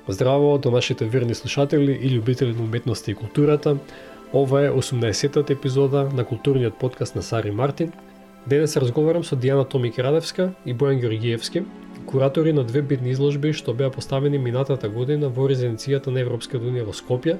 Здраво до нашите верни слушатели и љубители на уметноста и културата. Ова е 18-тата епизода на културниот подкаст на Сари Мартин. Денес разговарам со Дијана Томик-Радевска и Бојан Георгиевски, куратори на две битни изложби што беа поставени минатата година во резиденцијата на Европската унија во Скопје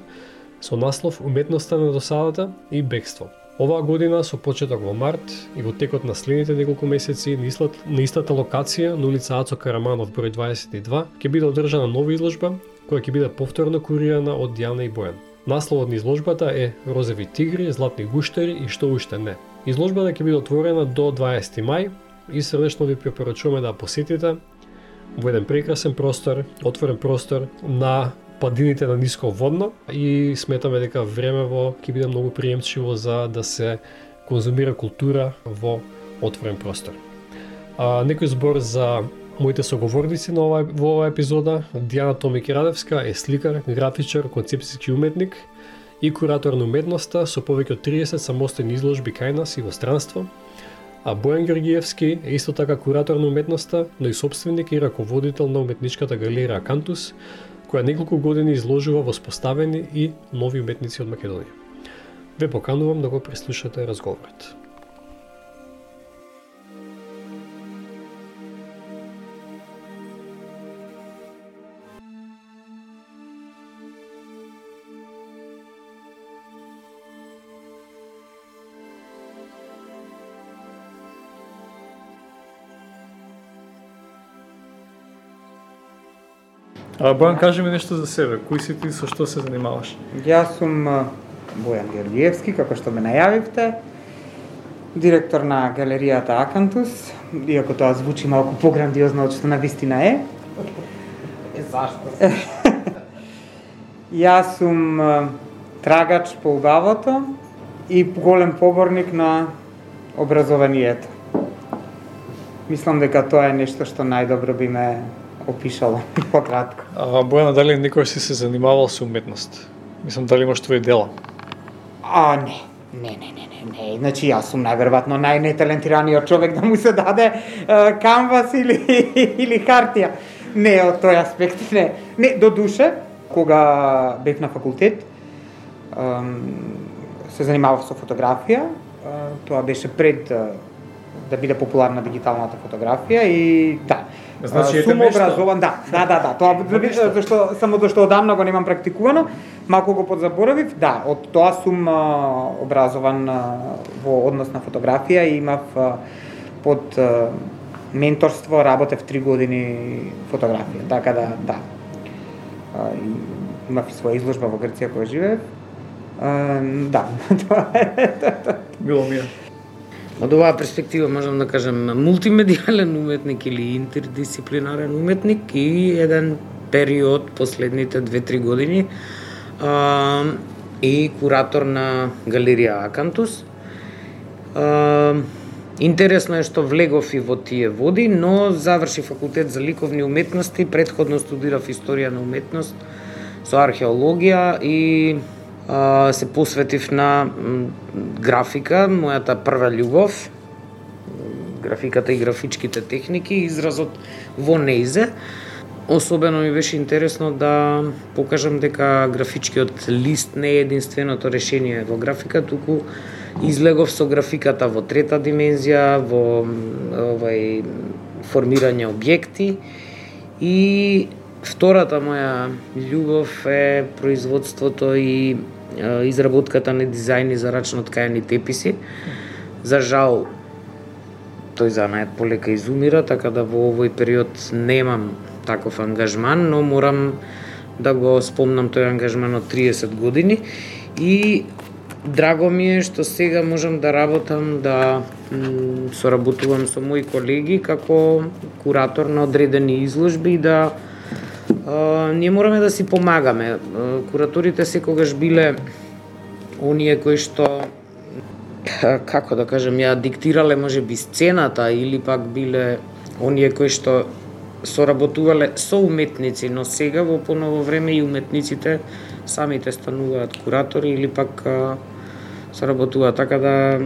со наслов Уметноста на досадата и бегство. Оваа година со почеток во март и во текот на следните неколку месеци на истата локација на улица Ацо Караманов број 22 ќе биде одржана нова изложба која ќе биде повторно курирана од Дијана и Бојан. Насловот на изложбата е Розови тигри, златни гуштери и што уште не. Изложбата ќе биде отворена до 20 мај и срдечно ви препорачуваме да ја посетите во еден прекрасен простор, отворен простор на падините на ниско водно и сметаме дека времево ќе биде многу приемчиво за да се конзумира култура во отворен простор. Некој збор за моите соговорници во оваа епизода. Дијана Томик-Радевска е сликар, графичар, концепцијски уметник и куратор на уметноста со повеќе од 30 самостојни изложби кај нас и во странство. А Бојан Георгиевски е исто така куратор на уметноста, но и собственик и раководител на уметничката галерија Акантус, која неколку години изложува воспоставени и нови уметници од Македонија. Ве поканувам да го преслушате разговорот. Бојан, кажи ми нешто за себе. Кој си ти, со што се занимаваш? Јас сум Бојан Георгиевски, како што ме најавивте, директор на галеријата Акантус, иако тоа звучи малку пограндиозно од што навистина е. Зашто? Јас сум трагач по убавото и голем поборник на образованието. Мислам дека тоа е нешто што најдобро би ме опишало пократко. Бојана, дали никој си се занимавал со уметност? Мислам, дали имаш твои дела? Не. Значи, јас сум најверојатно најнеталентираниот човек да му се даде канвас или хартија. Не, од тој аспект не. Не, до душе, кога бев на факултет, се занимавав со фотографија. Тоа беше пред да биде популарна дигиталната фотографија и да. Значи, сум образован, да. Тоа зашто одамна го немам практикувано, малку го подзаборавив. Да, од тоа сум образован во однос на фотографија и имав под менторство, работев 3 години фотографија. Така да. Имав и своја изложба во Грција која живеев. Да, тоа е. Било ми е. Од оваа перспектива можам да кажам мултимедијален уметник или интердисциплинарен уметник и еден период последните 2-3 години и куратор на галерија Акантус. Интересно е што влегов и во тие води, но заврши факултет за ликовни уметности, претходно студирав историја на уметност со археологија и се посветив на графика, мојата прва љубов, графиката и графичките техники, изразот во неизе. Особено ми беше интересно да покажам дека графичкиот лист не е единственото решение во графика, туку излегов со графиката во трета димензија, во формирање објекти и втората моја љубов е производството и изработката на дизајни за рачно ткаени теписи. За жал, тој занаед полека изумира, така да во овој период немам таков ангажман, но морам да го спомнам тој ангажман од 30 години и драго ми е што сега можам да работам, да соработувам со мои колеги како куратор на одредени изложби и да ние мораме да си помагаме. Кураторите секогаш биле оние кои што, како да кажем, ја диктирале можеби сцената или пак биле оние кои што соработувале со уметници, но сега во поново време и уметниците самите стануваат куратори или пак соработуваат, така да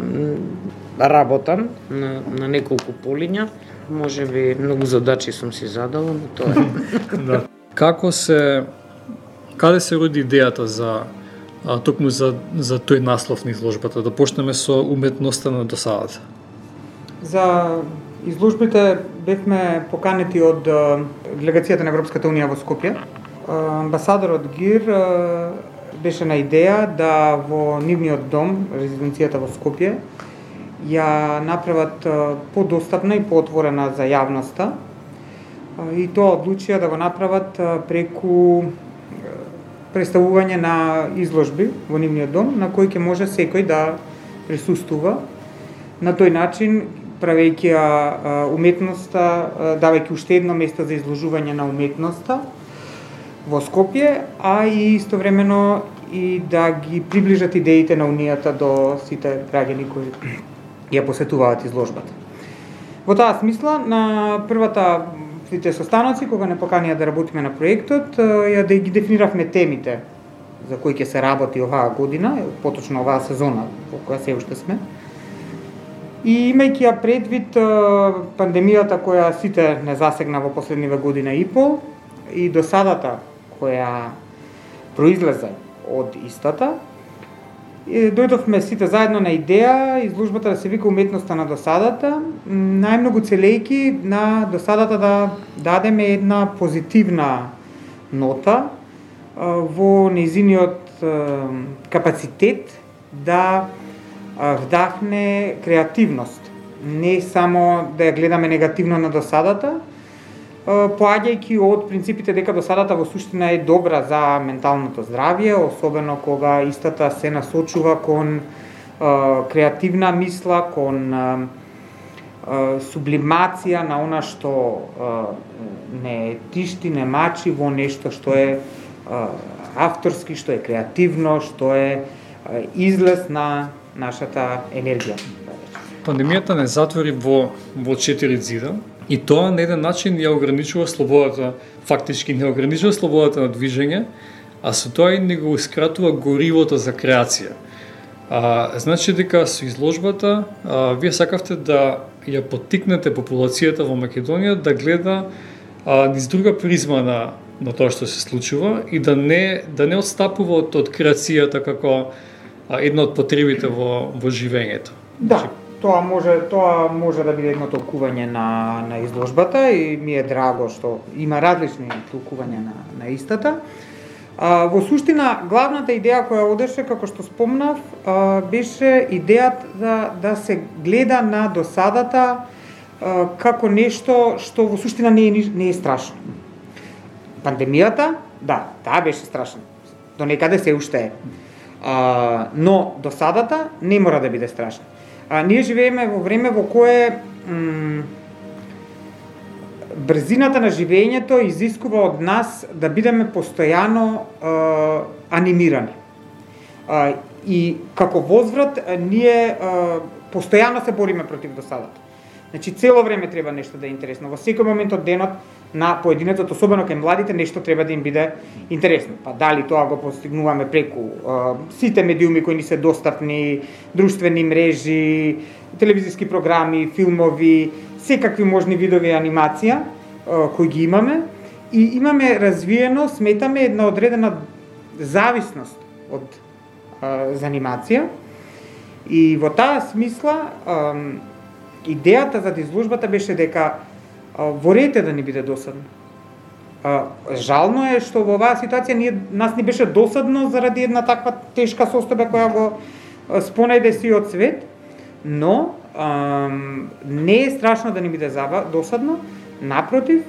работам на неколку полиња. Можеби многу задачи сум си задала, но тоа е. Да. каде се роди идејата токму за тој наслов на изложбата, да почнеме со уметноста на досадата? За изложбите бевме поканети од делегацијата на Европската унија во Скопје. Амбасадорот ГИР беше на идеја да во нивниот дом, резиденцијата во Скопје, ја направат подостапна и поотворена за јавноста. И тоа одлучија да го направат преку представување на изложби во нивниот дом, на кој ќе може секој да присуствува. На тој начин, правејќи уметноста, давајќи уште едно место за изложување на уметноста во Скопје, а и истовремено и да ги приближат идеите на Унијата до сите граѓани кои ја посетуваат изложбата. Во таа смисла, на првите состаноци, кога не поканија да работиме на проектот, ја да ги дефиниравме темите за кои ќе се работи оваа година, поточно оваа сезона во која се уште сме. И имајќи ја предвид пандемијата која сите не засегна во последниве година и пол и досадата која произлезе од истата, дојдовме сите заедно на идеја изложбата да се вика уметноста на досадата, најмногу целејки на досадата да дадеме една позитивна нота во нејзиниот капацитет да вдахне креативност. Не само да ја гледаме негативно на досадата, поаѓајќи од принципите дека досадата во суштина е добра за менталното здравје, особено кога истата се насочува кон креативна мисла, кон сублимација на она што не тишти, не мачи во нешто што е авторски, што е креативно, што е излез на нашата енергија. Пандемијата не затвори во 4 зида и тоа на еден начин ја ограничува слободата, фактички не ограничува слободата на движење, а со тоа и не го искратува горивото за креација. Значи дека со изложбата вие сакавте да ја поттикнете популацијата во Македонија да гледа низ друга призма на тоа што се случува и да не отстапува од креацијата како една од потребите во живењето. Да, тоа може да биде едно толкување на изложбата и ми е драго што има различни толкувања на истата. Во суштина, главната идеја која одеше, како што спомнав, беше идејата да се гледа на досадата како нешто што во суштина не е страшно. Пандемијата, да, таа беше страшна. До некаде се уште е. Но досадата не мора да биде страшна. Ние живееме во време во кое брзината на живењето изискува од нас да бидеме постојано анимирани. И како возврат ние постојано се бориме против досадата. Значи цело време треба нешто да е интересно. Во секој момент од денот на поединецот, особено кај младите, нешто треба да им биде интересно. Па дали тоа го постигнуваме преку сите медиуми кои ни се достапни, друштвени мрежи, телевизиски програми, филмови, секакви можни видови анимација кои ги имаме и имаме развиено, сметаме една одредена зависност од занимација и во таа смисла идејата за изложбата беше дека ворете да ни биде досадно. Жално е што во оваа ситуација нас ни беше досадно заради една таква тешка состојба која го спонајде сиот свет, но не е страшно да ни биде досадно, напротив,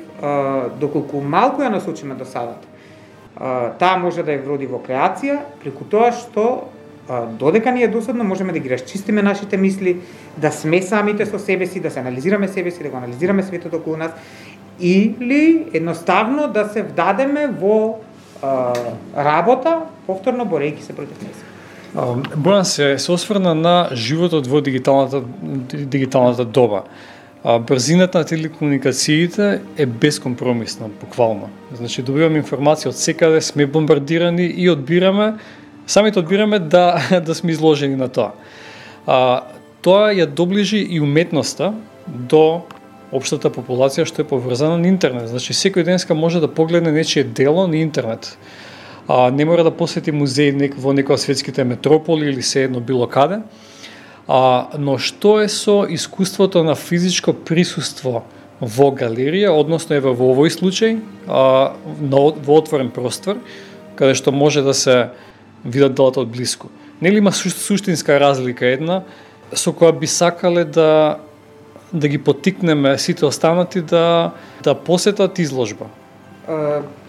доколку малку ја насочиме досадата, таа може да ја вроди во креација, преку тоа што додека ни е досадно, можеме да ги расчистиме нашите мисли, да сме самите со себе си, да се анализираме себе си, да го анализираме светот околу нас, или едноставно да се вдадеме во работа, повторно борејќи се против неа. Бојан се осврна на животот во дигиталната доба. Брзината на телекомуникациите е безкомпромисна, буквално. Значи, добиваме информација од секаде, сме бомбардирани и самите одбираме да сме изложени на тоа. Тоа ја доближи и уметноста до општата популација што е поврзана на интернет. Значи секој денеска може да погледне нечие дело на интернет. Не мора да посети музеј во некоја светските метрополи или се едно било каде. Но што е со искуството на физичко присуство во галерија, односно еве во овој случај, во отворен простор, каде што може да се видат делата од блиску. Нели има суштинска разлика една со која би сакале да ги поттикнеме сите останати да посетат изложба?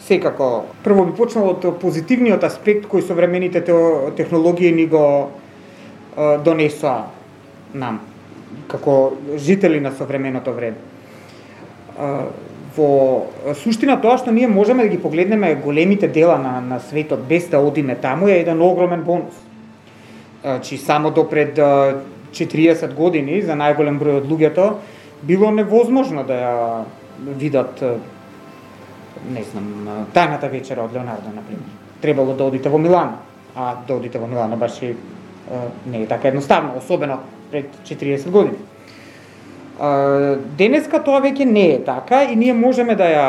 Секако. Прво би почнал од позитивниот аспект кој современите технологии ни го донесоа нам, како жители на современото време. Во суштина тоа што ние можеме да ги погледнеме големите дела на светот без да одиме таму е еден огромен бонус. Чи само до пред 40 години за најголем број од луѓето било невозможно да ја видат, не знам, тајната вечера од Леонардо, например. Требало да одите во Милано, а да одите во Милано баш и не е така едноставно, особено пред 40 години. Денеска тоа веќе не е така и ние можеме да ја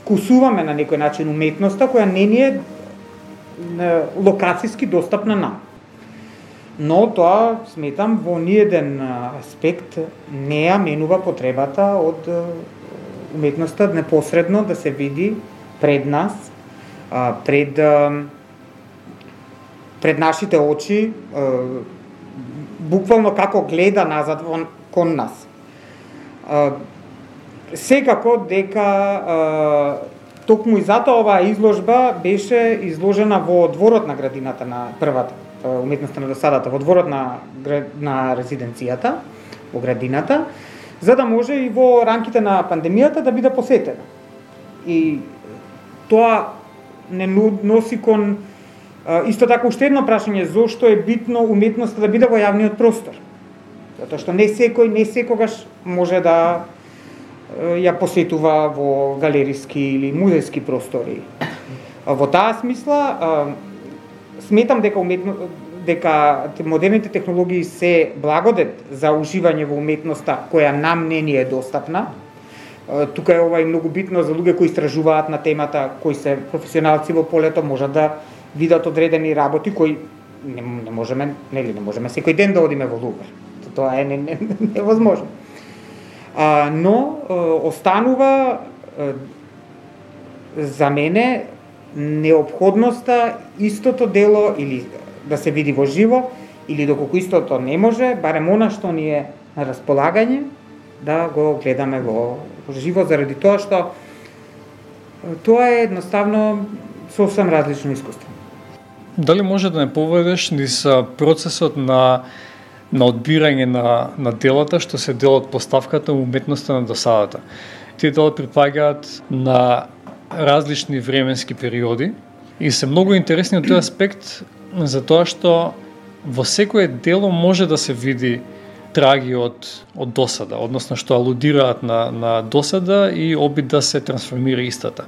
вкусуваме на некој начин уметноста која не ни е локацијски достапна нам. Но тоа, сметам, во ниеден аспект не ја менува потребата од уметноста непосредно да се види пред нас, пред нашите очи, буквално како гледа назад кон нас. Секако дека токму и затоа оваа изложба беше изложена во дворот на градината на првата уметноста на досадата, во дворот на резиденцијата, во градината, за да може и во рамките на пандемијата да биде посетена. И тоа не носи кон исто така уште едно прашање, зошто е битно уметноста да биде во јавниот простор. Затоа што не секогаш може да ја посетува во галериски или музејски простори. Во таа смисла, сметам дека модерните технологии се благодет за уживање во уметноста која нам не ни е достапна. Тука е ова и многу битно за луѓе кои истражуваат на темата, кои се професионалци во полето, можат да видат одредени работи кои не можеме секој ден да одиме во Лувр. Тоа е невозможно. Но останува за мене неопходноста истото дело или да се види во живо, или доколку истото не може, барем она што ни е на располагање, да го гледаме во живо, заради тоа што тоа е едноставно сосем различно искуство. Дали може да не поведеш низ процесот на одбирање на делата што се дел од поставката уметноста на досадата? Тие дела припаѓаат на различни временски периоди и се многу интересни од тој аспект, затоа што во секое дело може да се види траги од досада, односно што алудираат на досада и обид да се трансформира истата.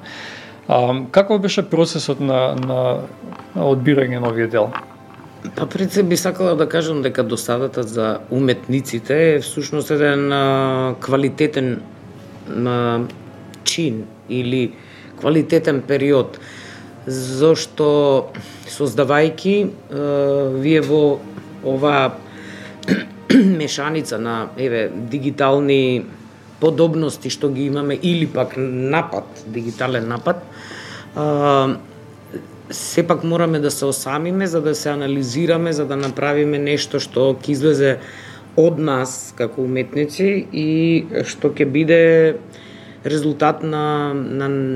Каков беше процесот на одбирање на овие дела? Пред се би сакала да кажам дека досадата за уметниците е всушност еден квалитетен чин или квалитетен период, зашто создавајки вие во оваа мешаница на дигитални подобности што ги имаме или пак дигитален напад, сепак мораме да се осамиме за да се анализираме, за да направиме нешто што ќе излезе од нас како уметници и што ќе биде резултат на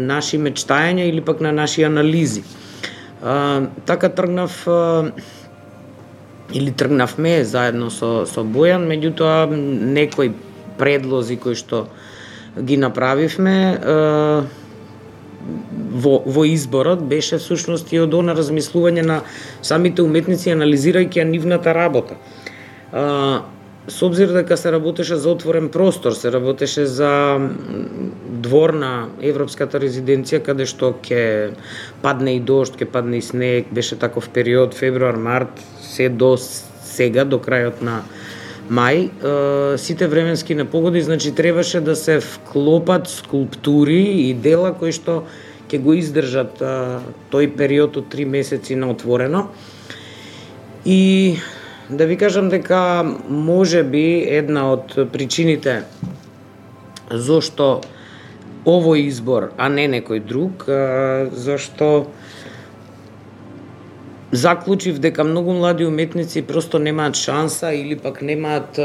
наши мечтања или пак на наши анализи. Така тргнавме заедно со Бојан, меѓутоа некои предлози кои што ги направивме во изборот беше всушност и од она размислување на самите уметници анализирајќи ја нивната работа. Со обзир дека се работеше за отворен простор, се работеше за двор на Европската резиденција каде што ќе падне и дожд, ќе падне и снег, беше таков период февруар, март, се до сега, до крајот мај, сите временски непогоди, значи требаше да се вклопат скулптури и дела кои што ќе го издржат тој период од 3 месеци на отворено. И да ви кажам дека може би една од причините зошто овој избор, а не некој друг, зашто заклучив дека многу млади уметници просто немаат шанса или пак немаат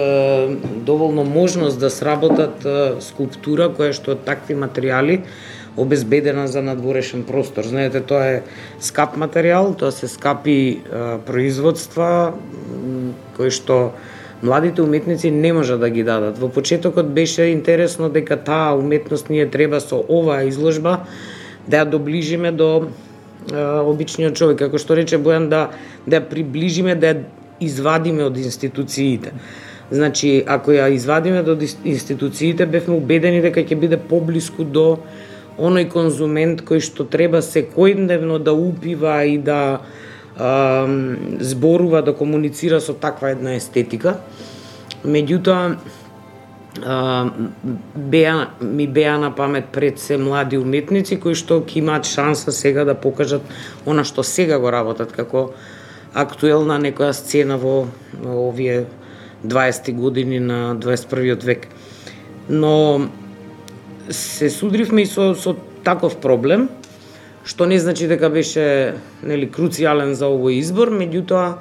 доволно можност да сработат скулптура која што од такви материјали обезбедена за надворешен простор. Знаете, тоа е скап материјал, тоа се скапи производства кои што младите уметници не можат да ги дадат. Во почетокот беше интересно дека таа уметност ние треба со оваа изложба да ја доближиме до обичниот човек, како што рече Бојан, да ја приближиме, да ја извадиме од институциите. Значи, ако ја извадиме до институциите, бевме убедени дека ќе биде поблиску до оној конзумент кој што треба секојдневно да упива и да зборува, да комуницира со таква една естетика. Меѓутоа, ми беа на памет пред се млади уметници кои што ќе имаат шанса сега да покажат она што сега го работат како актуелна некоја сцена во овие 20 години на 21 век. Но се судривме и со таков проблем, што не значи дека беше круцијален за овој избор, меѓутоа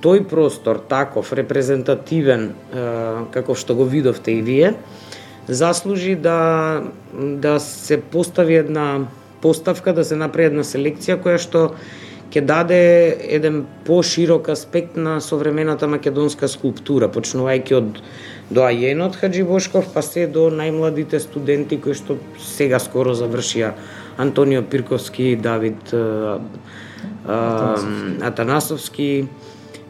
тој простор, таков, репрезентативен, каков што го видовте и вие, заслужи да се постави една поставка, да се направи една селекција која што ќе даде еден поширок аспект на современата македонска скулптура, почнувајќи од доајенот Хаџи Бошков, па се до најмладите студенти кои што сега скоро завршија, Антонио Пирковски, Давид Атанасовски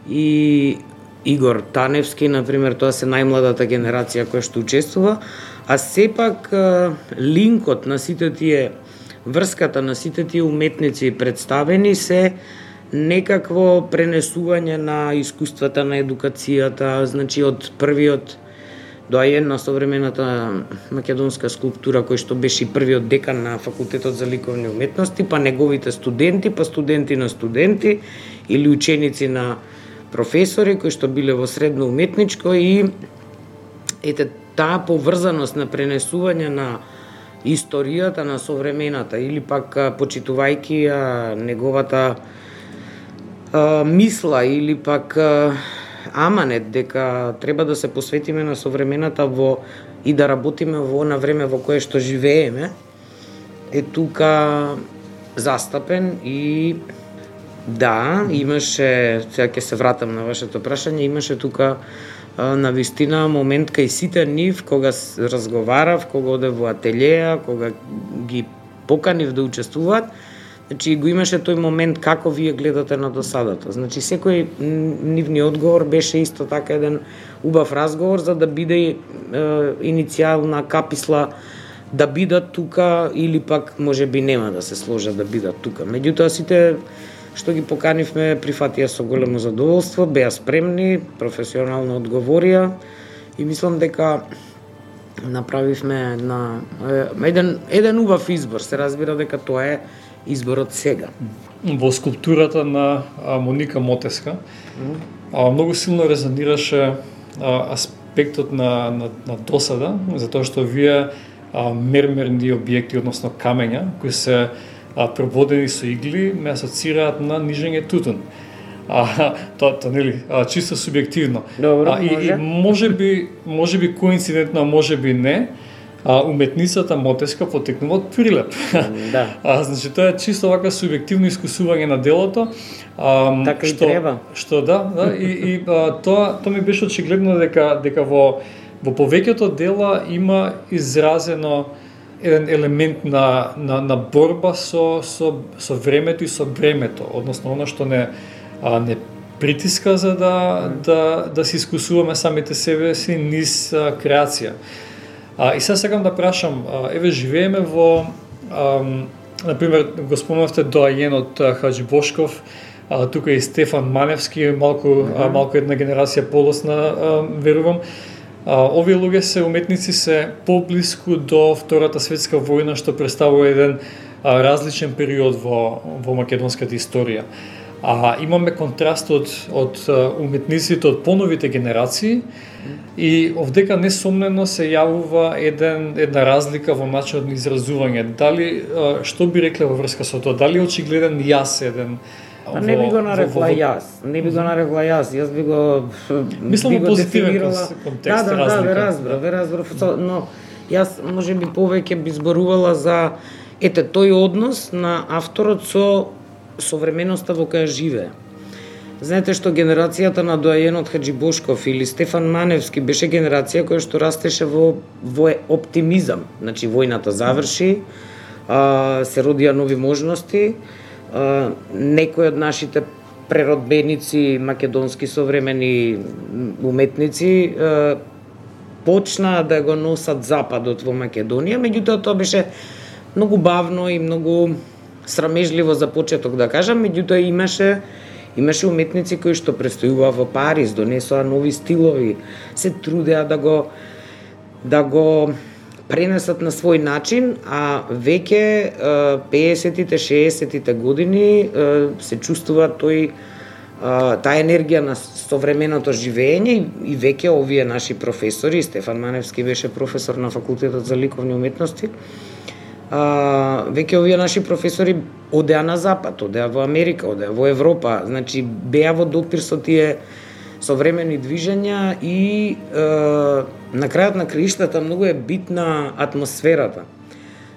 и Игор Таневски, например, тоа се најмладата генерација која што учествува, а сепак линкот на сите тие, врската на сите тие уметници представени се некакво пренесување на искуствата на едукацијата, значи од првиот доајен на современата македонска скулптура, кој што беше и првиот декан на Факултетот за ликовни уметности, па неговите студенти, па студенти на студенти или ученици на професори кои што биле во средно уметничко, и ете таа поврзаност на пренесување на историјата на современата или пак почитувајќи неговата мисла или пак аманет дека треба да се посветиме на современата и да работиме во на време во кое што живееме, е тука застапен. И да, имаше, сега ќе се вратам на вашето прашање, имаше тука навистина момент кај сите нив, кога разговарав, кога одев во ателјеа, кога ги поканив да учествуваат, значи го имаше тој момент како вие гледате на досадата. Значи секој нивни одговор беше исто така еден убав разговор за да биде иницијална каписла да бидат тука или пак можеби нема да се сложат да бидат тука. Меѓутоа сите што ги поканивме прифатија со големо задоволство, беа спремни, професионално одговорија и мислам дека направивме еден убав избор. Се разбира дека тоа е изборот сега. Во скулптурата на Моника Мотеска многу силно резонираше аспектот на досада, затоа што вие мермерни објекти, односно камења, кои се преводени со игли, ме асоцираат на нижење тутун. Тоа нели чисто субјективно. Добро, и можеби коинцидентно, можеби не, уметницата Мотеска потекнува од Прилеп. Да. Значи тоа е чисто вака субјективно искусување на делото. Така и треба. Што и тоа ми беше очигледно дека во повеќето дела има изразено еден елемент на борба со времето и со бремето, односно она што не притиска за да се искусуваме самите себе си низ креација. И сега сакам да прашам, еве живееме во, например, го спомнавте доајенот Хаџи Бошков, тука и Стефан Маневски, малку една генерација полосна, верувам. Овие луѓе се уметници се поблиску до Втората светска војна, што представува еден различен период во македонската историја. Имаме контраст од уметниците од поновите генерации и овдека несомнено се јавува една разлика во начинот на изразување. Дали, што би рекле во врска со тоа? Дали очигледен јас еден? Не би го нарекла јас. Јас би го мислам позитивен контекст, разлика. Ве разбрав, но јас можеби повеќе би зборувала за тој однос на авторот со современоста во која живее. Знаете што генерацијата на доајенот Хаджибошков или Стефан Маневски беше генерација која што растеше во оптимизам. Значи војната заврши, се родија нови можности, некои од нашите преродбеници, македонски современи уметници, почнаа да го носат западот во Македонија, меѓутоа тоа беше многу бавно и многу срамежливо за почеток, да кажам, меѓутоа имаше уметници кои што престојуваа во Париз, донесоа нови стилови, се трудеа да го пренесат на свој начин, а веќе 50-тите, 60-тите години се чувствува таа енергија на современото живење и веќе овие наши професори, Стефан Маневски беше професор на Факултетот за ликовни уметности, веќе овие наши професори одеа на Запад, одеа во Америка, одеа во Европа, значи беа во допир со тие современи движења и на крајот на краиштата многу е битна атмосферата.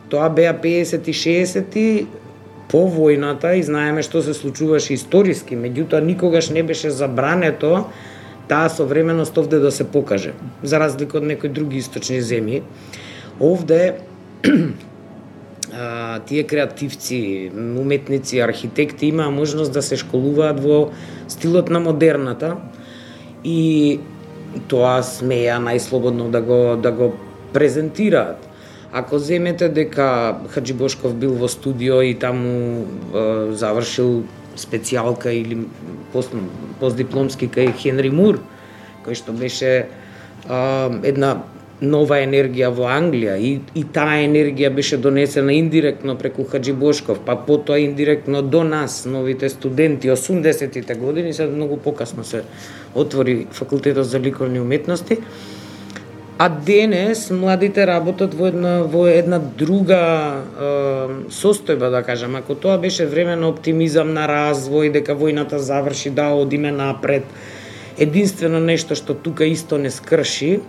Тоа беа 50-ти, 60-ти по војната и знаеме што се случуваше историски, меѓутоа никогаш не беше забрането таа современост овде да се покаже, за разлика од некои други источни земји. Овде тие креативци, уметници, архитекти имаа можност да се школуваат во стилот на модерната и тоа смеја најслободно да го презентираат. Ако земете дека Хаджибошков бил во студио и таму завршил специјалка или постдипломски кај Хенри Мур, кој што беше една нова енергија во Англија и таа енергија беше донесена индиректно преку Хаджибошков, па потоа индиректно до нас, новите студенти, 80-тите години, се многу покасно се отвори Факултетот за ликовни уметности. А денес младите работат во една друга состојба, да кажам. Ако тоа беше време на оптимизам, на развој, дека војната заврши, да одиме напред, единствено нешто што тука исто не скрши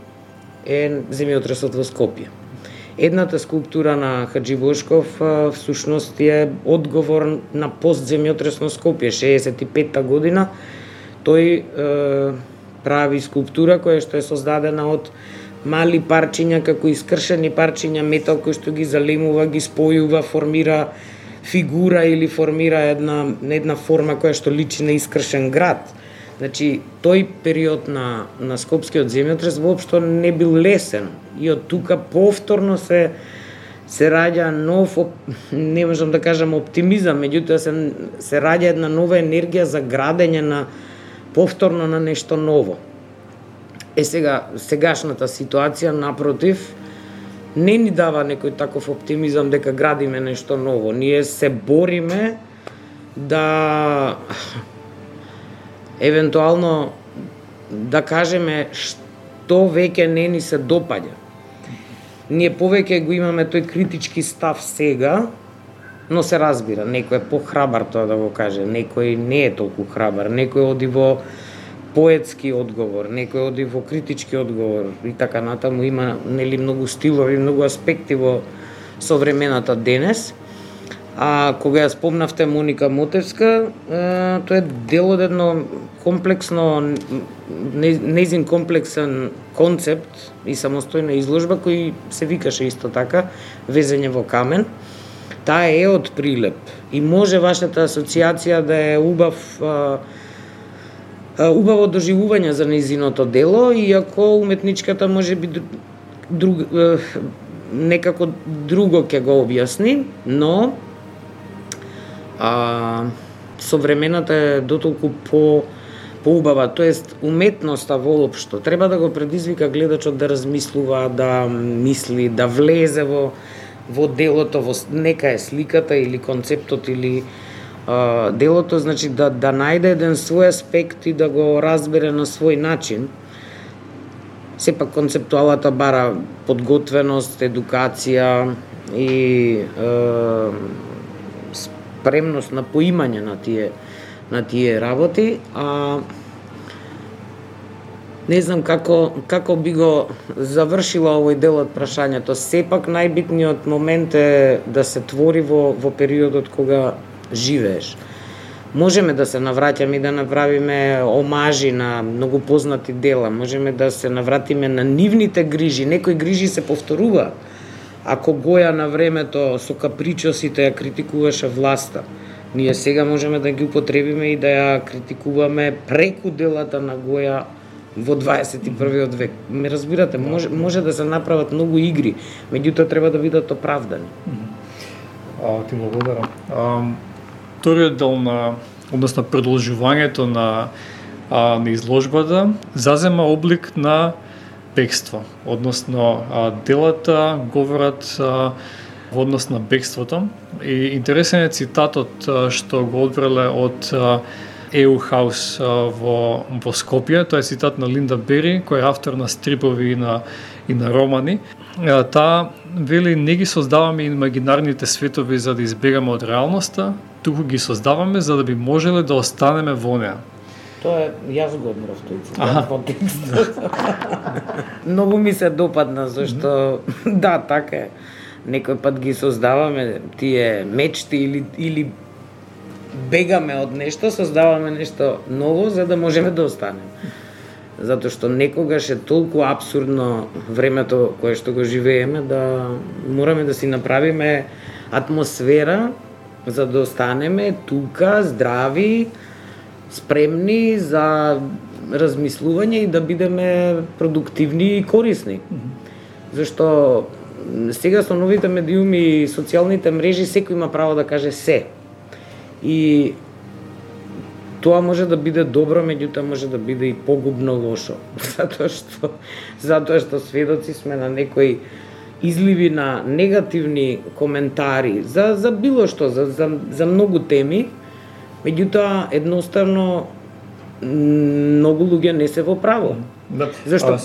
е земјотресот во Скопје. Едната скулптура на Хаджибошков всушност е одговор на постземјотресно Скопје, 65-та година. Тој прави скулптура која што е создадена од мали парчиња, како искршени парчиња метал кои што ги залемува, ги спојува, формира фигура или формира една форма која што личи на искршен град. Значи, тој период на скопскиот земјотрес воопшто не бил лесен и од тука повторно се раѓа нов, не можам да кажам оптимизам, меѓутоа се раѓа една нова енергија за градење повторно на нешто ново. Сегашната ситуација, напротив, не ни дава некој таков оптимизам дека градиме нешто ново. Ние се бориме да евентуално да кажеме што веќе не ни се допаѓа. Ние повеќе го имаме тој критички став сега, но се разбира, некој е похрабар тоа да го каже, некој не е толку храбар, некој оди во поетски одговор, некој оди во критички одговор и така натаму. Има многу стилови, многу аспекти во современата денес. А кога ја спомнавте Моника Мотевска, тоа е дел од едно комплексно, нејзин комплексен концепт и самостојна изложба кој се викаше исто така Везење во камен. Таа е од Прилеп и може вашата асоциација да е убаво доживување за нејзиното дело, иако уметничката може би некако друго ќе го објасни, но современата е дотолку поубава, тоест уметноста воопшто треба да го предизвика гледачот да размислува, да мисли, да влезе во делото, во нека е сликата или концептот или делото, значи да најде еден свој аспект и да го разбере на свој начин. Сепак концептуалата бара подготвеност, едукација и спремност на поимање на тие работи, не знам како би го завршила овој дел од прашањето. Сепак најбитниот момент е да се твори во периодот кога живееш. Можеме да се навраќаме и да направиме омажи на многу познати дела, можеме да се навратиме на нивните грижи, некои грижи се повторува. Ако Гоја на времето со капричосите ја критикуваше власта, ние сега можеме да ги употребиме и да ја критикуваме преку делата на Гоја во 21. век. Ме разбирате, може да се направат многу игри, меѓутоа треба да бидат оправдани. Ти благодарам. Вториот дел односно продолжувањето на изложбата зазема облик на бегство, односно делата говорат во однос на бегството. И интересен е цитатот што го одбрале од EU House во Скопје. Тоа е цитат на Линда Бери, која е автор на стрипови и на романи. Таа вели: не ги создаваме имагинарните светови за да избегаме од реалноста, туку ги создаваме за да би можеле да останеме во неа. Тоа е, јас го одмрав тој цитат во текстот. Многу ми се допадна, зашто да, така е. Некој пат ги создаваме тие мечти или бегаме од нешто, создаваме нешто ново за да можеме да останеме. Затоа што некогаш е толку апсурдно времето кое што го живееме да мораме да си направиме атмосфера за да останеме тука здрави, спремни за размислување и да бидеме продуктивни и корисни. Зашто сега со новите медиуми и социјалните мрежи секој има право да каже се. И тоа може да биде добро, меѓутоа може да биде и погубно лошо. Затоа што сведоци сме на некои изливи на негативни коментари за било што, за многу теми, меѓутоа едноставно многу луѓе не се во право. Да. Зашто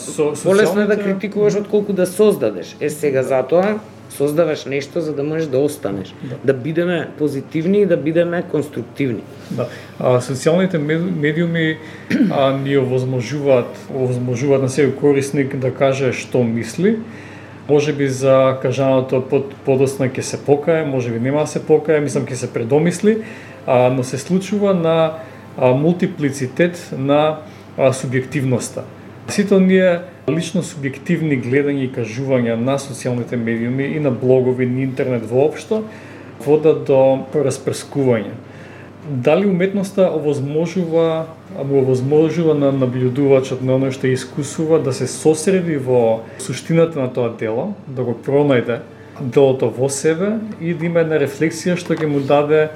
полесно е да критикуваш отколку да создадеш. Сега затоа создаваш нешто за да можеш да останеш, да бидеме позитивни и да бидеме конструктивни. Да. Социјалните медиуми ни овозможуваат на секој корисник да каже што мисли. Може би за кажаното подоцна ќе се покае, може би нема да се покае, мислам ќе се предомисли, но се случува на мултиплицитет на субјективноста. Сите оние лично субјективни гледања и кажувања на социјалните медиуми и на блогови, на интернет воопшто водат до распрскување. Дали уметноста овозможува на наблюдувачот на оној што искусува да се сосреди во суштината на тоа дело, да го пронајде делото во себе и да има една рефлексија што ќе му даде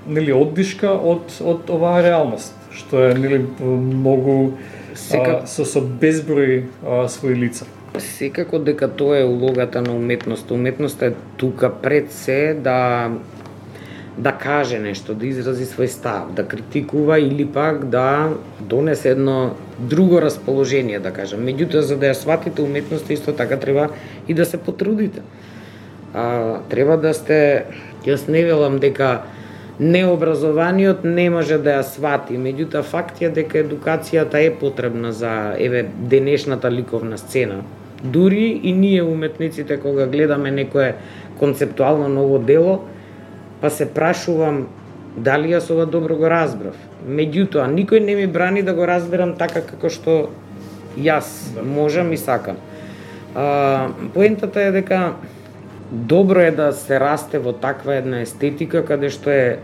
оддишка од оваа реалност, што е многу со безброј своји лица. Секако дека тоа е улогата на уметноста. Уметноста е тука пред се да каже нешто, да изрази свој став, да критикува или пак да донесе едно друго расположение, да кажем. Меѓутоа, за да ја сватите уметноста, исто така треба и да се потрудите. Треба да сте, јас не велам дека необразованиот не може да ја свати, меѓутоа факт е дека едукацијата е потребна за денешната ликовна сцена. Дури и ние уметниците кога гледаме некое концептуално ново дело, па се прашувам дали јас ова добро го разбрав. Меѓутоа никој не ми брани да го разберам така како што јас можам и сакам. Поентата е дека добро е да се расте во таква една естетика каде што е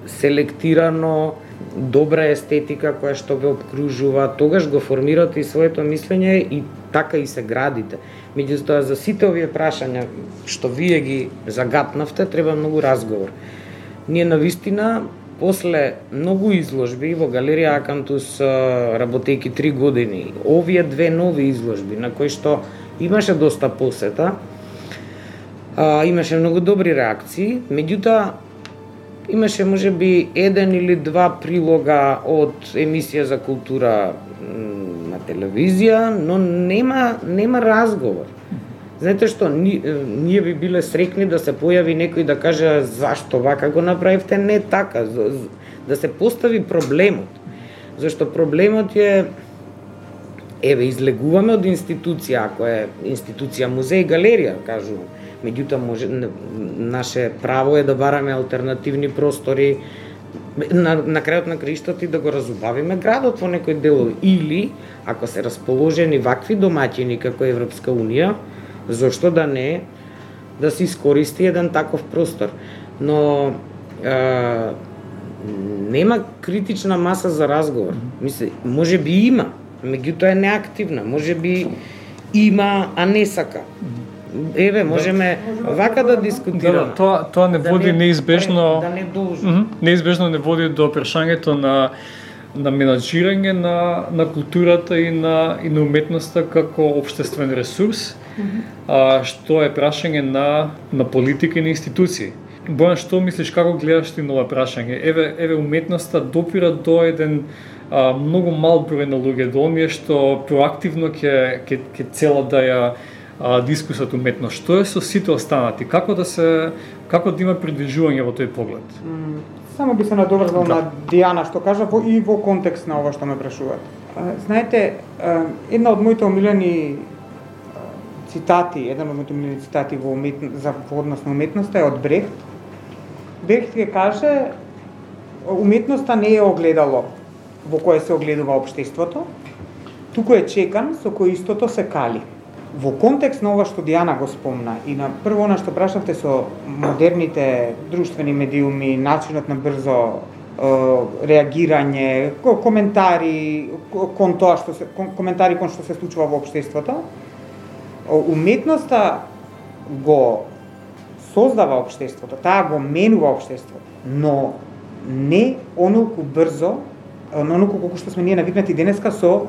селектирано, добра естетика која што ве обкружува, тогаш го формирате и своето мислење и така и се градите. Меѓутоа за сите овие прашања што вие ги загатнавте треба многу разговор. ние навистина после многу изложби во галерија Акантус, работејќи 3 години, овие 2 нови изложби на кои што имаше доста посета, имаше многу добри реакции, меѓутоа имаше можеби 1 или 2 прилога од емисија за култура на телевизија, но нема разговор. Знаете што, ние би биле срекни да се појави некој да каже зашто вака го направивте, не така, да се постави проблемот. Зашто проблемот е, еве, излегуваме од институција, ако е институција музеј, галерија, кажувам. Меѓутоа, наше право е да бараме алтернативни простори, на крајот на краиштата и да го разубавиме градот во некој делови. Или, ако се расположени вакви домаќини како Европска Унија, зошто да не да се искористи еден таков простор. Но нема критична маса за разговор. Мисли, може би има, меѓутоа е неактивна, може би има, а не сака. Еве, можеме вака да дискутираме. Тоа не води неизбежно. Да не должи. Неизбежно не води до прашањето на менаџирање на културата и на уметноста како општествен ресурс, што е прашање на политика и на институции. Бојан, што мислиш, како гледаш ти на ова прашање? Еве уметноста допира до еден многу мал број на луѓе, до оние што проактивно ќе цела да ја дискусат уметност. Што е со сите останати? Како да има придвижување во тој поглед? Само би се надоврзал на Дијана што кажа и во контекст на ова што ме прашуват. Знаете, една од моите омилени цитати во однос на уметноста е од Брехт. Брехт ќе каже, уметноста не е огледало во кое се огледува општеството, туку е чекан со кој истото се кали. Во контекст на ова што Дијана го спомна и на прво она што прашавте со модерните друштвени медиуми, начинот на брзо реагирање, коментари кон тоа што се случува во општеството, уметноста го создава општеството, таа го менува општеството, но не онолку брзо, онолку колку што сме ние навикнати денеска со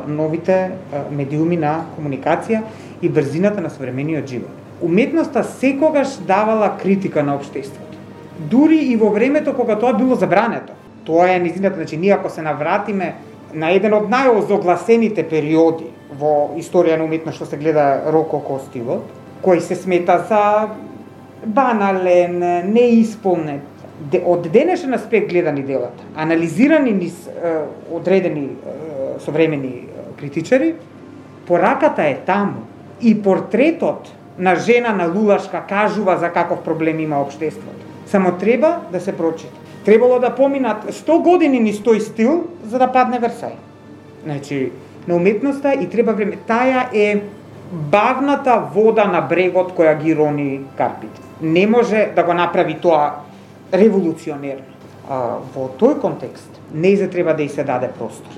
новите медиуми на комуникација и брзината на современиот живот. Уметноста секогаш давала критика на општеството. Дури и во времето кога тоа било забрането. Тоа е нејзината, значи ние ако се навратиме на еден од најозогласените периоди во историја на уметност што се гледа рококо стилот, кој се смета за банален, неисполнет, од денешен аспект гледани делата, анализирани низ одредени современи критичари, пораката е таму и портретот на жена на Лулашка кажува за каков проблем има општеството. Само треба да се прочита. Требало да поминат 100 години низ тој стил за да падне Версај. Значи, на уметноста и треба време. Таја е бавната вода на брегот која ги рони карпите. Не може да го направи тоа револуционерно. Во тој контекст, нејзе треба да и се даде простор.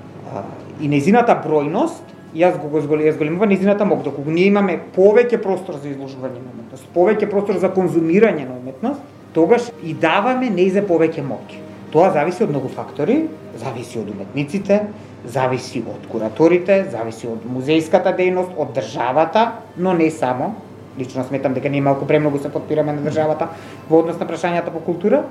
И нејзината бројност, јас големувам нејзината мок, доколку ние имаме повеќе простор за изложување на уметност, повеќе простор за конзумирање на уметност, тогаш и даваме нејзе повеќе моќ. Тоа зависи од многу фактори, зависи од уметниците, зависи од кураторите, зависи од музејската дејност, од државата, но не само. Лично сметам дека ние малку премногу се подпираме на државата во однос на прашањата по култура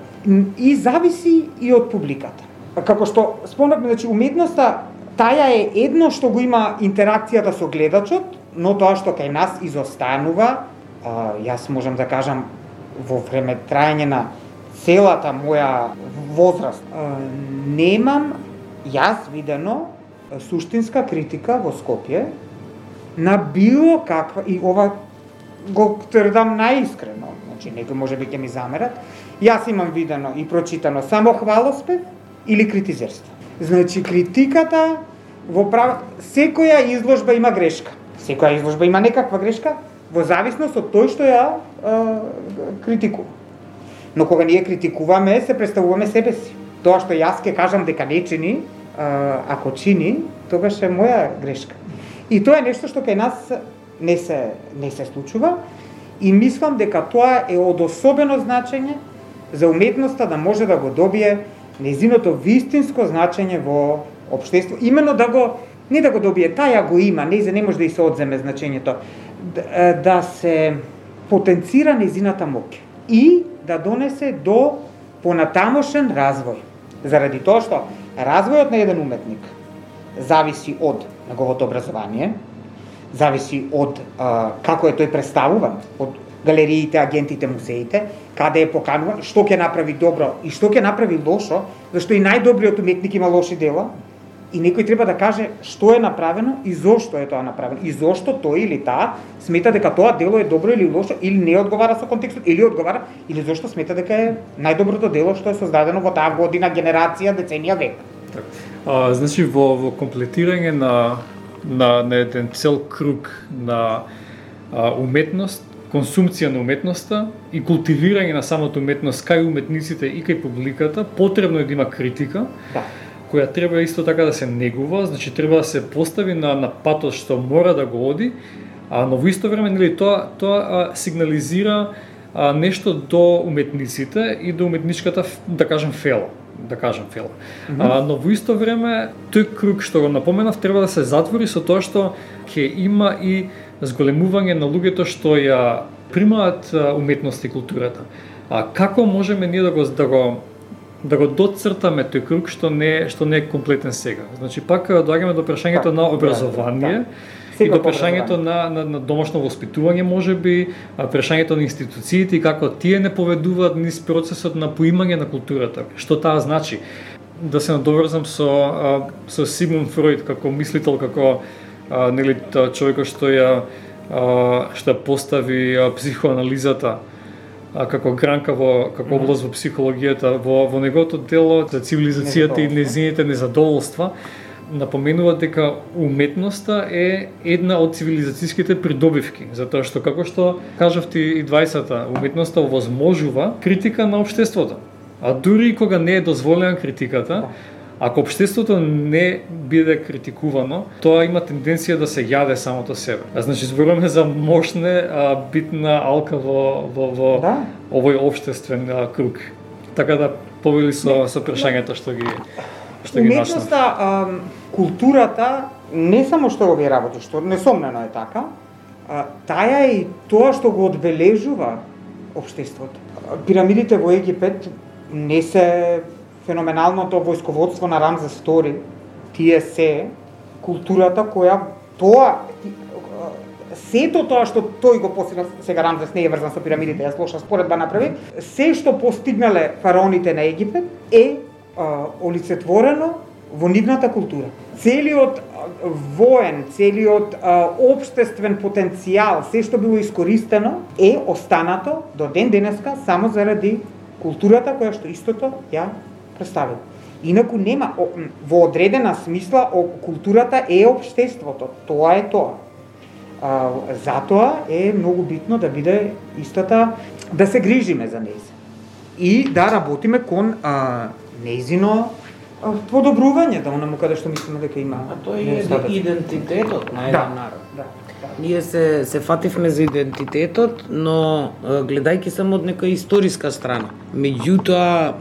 и зависи и од публиката. Како што спомнавме, значи уметноста таја е едно што го има интеракцијата со гледачот, но тоа што кај нас изостанува, јас можам да кажам во време трајање на целата моја возраст, немам јас видено суштинска критика во Скопје на било каква, и ова го тврдам наискрено, значи некој можеби ќе ми замерат, јас имам видено и прочитано само хвалоспев или критизерство. Значи критиката во секоја изложба има грешка. Секоја изложба има некаква грешка во зависност од тој што ја критикува. Но кога ние критикуваме, се представуваме себе си. Тоа што јас ќе кажам дека не чини, ако чини, тогаш е моја грешка. И тоа е нешто што кај нас не се случува и мислам дека тоа е од особено значење за уметноста да може да го добие нејзиното вистинско значење во општество, именно да го не да го добие, таја го има, не може да и се одземе значењето, да се потенцира нејзината моќ и да донесе до понатамошен развој. Заради тоа што развојот на еден уметник зависи од неговото образование, зависи од како е тој представуван, од галериите, агентите, музеите, каде е покануван, што ќе направи добро и што ќе направи лошо, зашто и најдобриот уметник има лоши дела, и некој треба да каже што е направено и зошто е тоа направено, и зошто тој или таа смета дека тоа дело е добро или лошо, или не одговара со контекстот, или одговара, или зошто смета дека е најдоброто дело што е создадено во таа година, генерација, деценија, век. Значи во комплетирање на еден цел круг на уметност, консумција на уметноста и култивирање на самата уметност кај уметниците и кај публиката, потребно е да има критика, која треба исто така да се негува, значи треба да се постави на патот што мора да го оди, но во исто време нели тоа сигнализира нешто до уметниците и до уметничката, да кажем фела. Но во исто време тој круг што го напоменав треба да се затвори со тоа што ќе има и зголемување на луѓето што ја примаат уметност и културата. Како можеме ние да го доцртаме тој круг што не е комплетен сега? Значи пак доаѓаме до прашањето на образование и до прашањето на домашно воспитување, можеби, прашањето на институциите и како тие не поведуваат низ процесот на поимање на културата. Што таа значи? Да се надоврзам со Сигмунд Фройд како мислител, како нели човекот што ја постави психоанализата како гранка како област во психологијата, во неговото дело за цивилизацијата и нејзините незадоволства, напоменува дека уметноста е една од цивилизацијските придобивки, затоа што како што кажавте и 20-та, уметноста овозможува критика на општеството. А дури и кога не е дозволена критиката, ако општеството не биде критикувано, тоа има тенденција да се јаде самото себе. Значи зборуваме за мощна битна алка во овој општествен круг. Така да повели со прашањето што ги уметноста, културата, не само што овие работи, што несомнено е така, таја е и тоа што го одбележува општеството. Пирамидите во Египет не се феноменалното војсководство на Рамзес II, тие се културата која сето тоа што тој го постигнал, сега Рамзес не е врзан со пирамидите, јас лоша споредба направи, се што постигнале фараоните на Египет е олицетворено во нивната култура. Целиот воен, целиот општествен потенцијал, се што било искористено е останато до ден денеска само заради културата која што истото ја представил. Инаку нема, во одредена смисла, културата е општеството, тоа е тоа. Затоа е многу битно да биде истата, да се грижиме за нејзе. И да работиме кон нејзино подобрување, да онаму каде што мислиме дека има. А тоа е идентитетот на еден народ. Ние се фативме за идентитетот, но гледајќи само од некоја историска страна. Меѓутоа,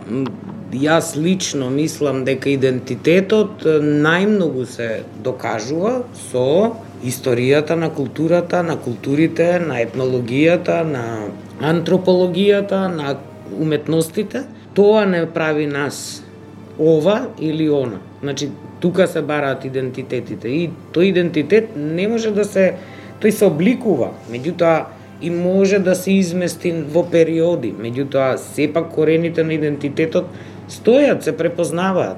јас лично мислам дека идентитетот најмногу се докажува со историјата на културата, на културите, на етнологијата, на антропологијата, на уметностите. Тоа не прави нас ова или она. Значи, тука се бараат идентитетите и тој идентитет не може да се, тој се обликува, меѓутоа и може да се измести во периоди, меѓутоа сепак корените на идентитетот стојат, се препознаваат.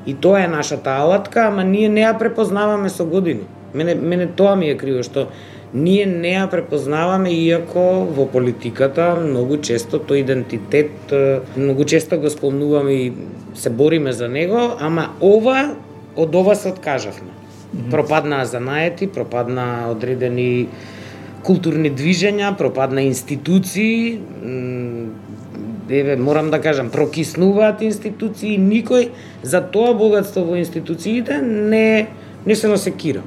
И тоа е нашата алатка, ама ние не ја препознаваме со години. Мене тоа ми е криво, што ние не ја препознаваме, иако во политиката многу често тој идентитет, многу често го спомнуваме и се бориме за него, ама од ова се откажавме. Пропаднаа занаети, пропаднаа одредени културни движења, пропадна институции, морам да кажам, прокиснуваат институции, никој за тоа богатство во институциите не се насекира.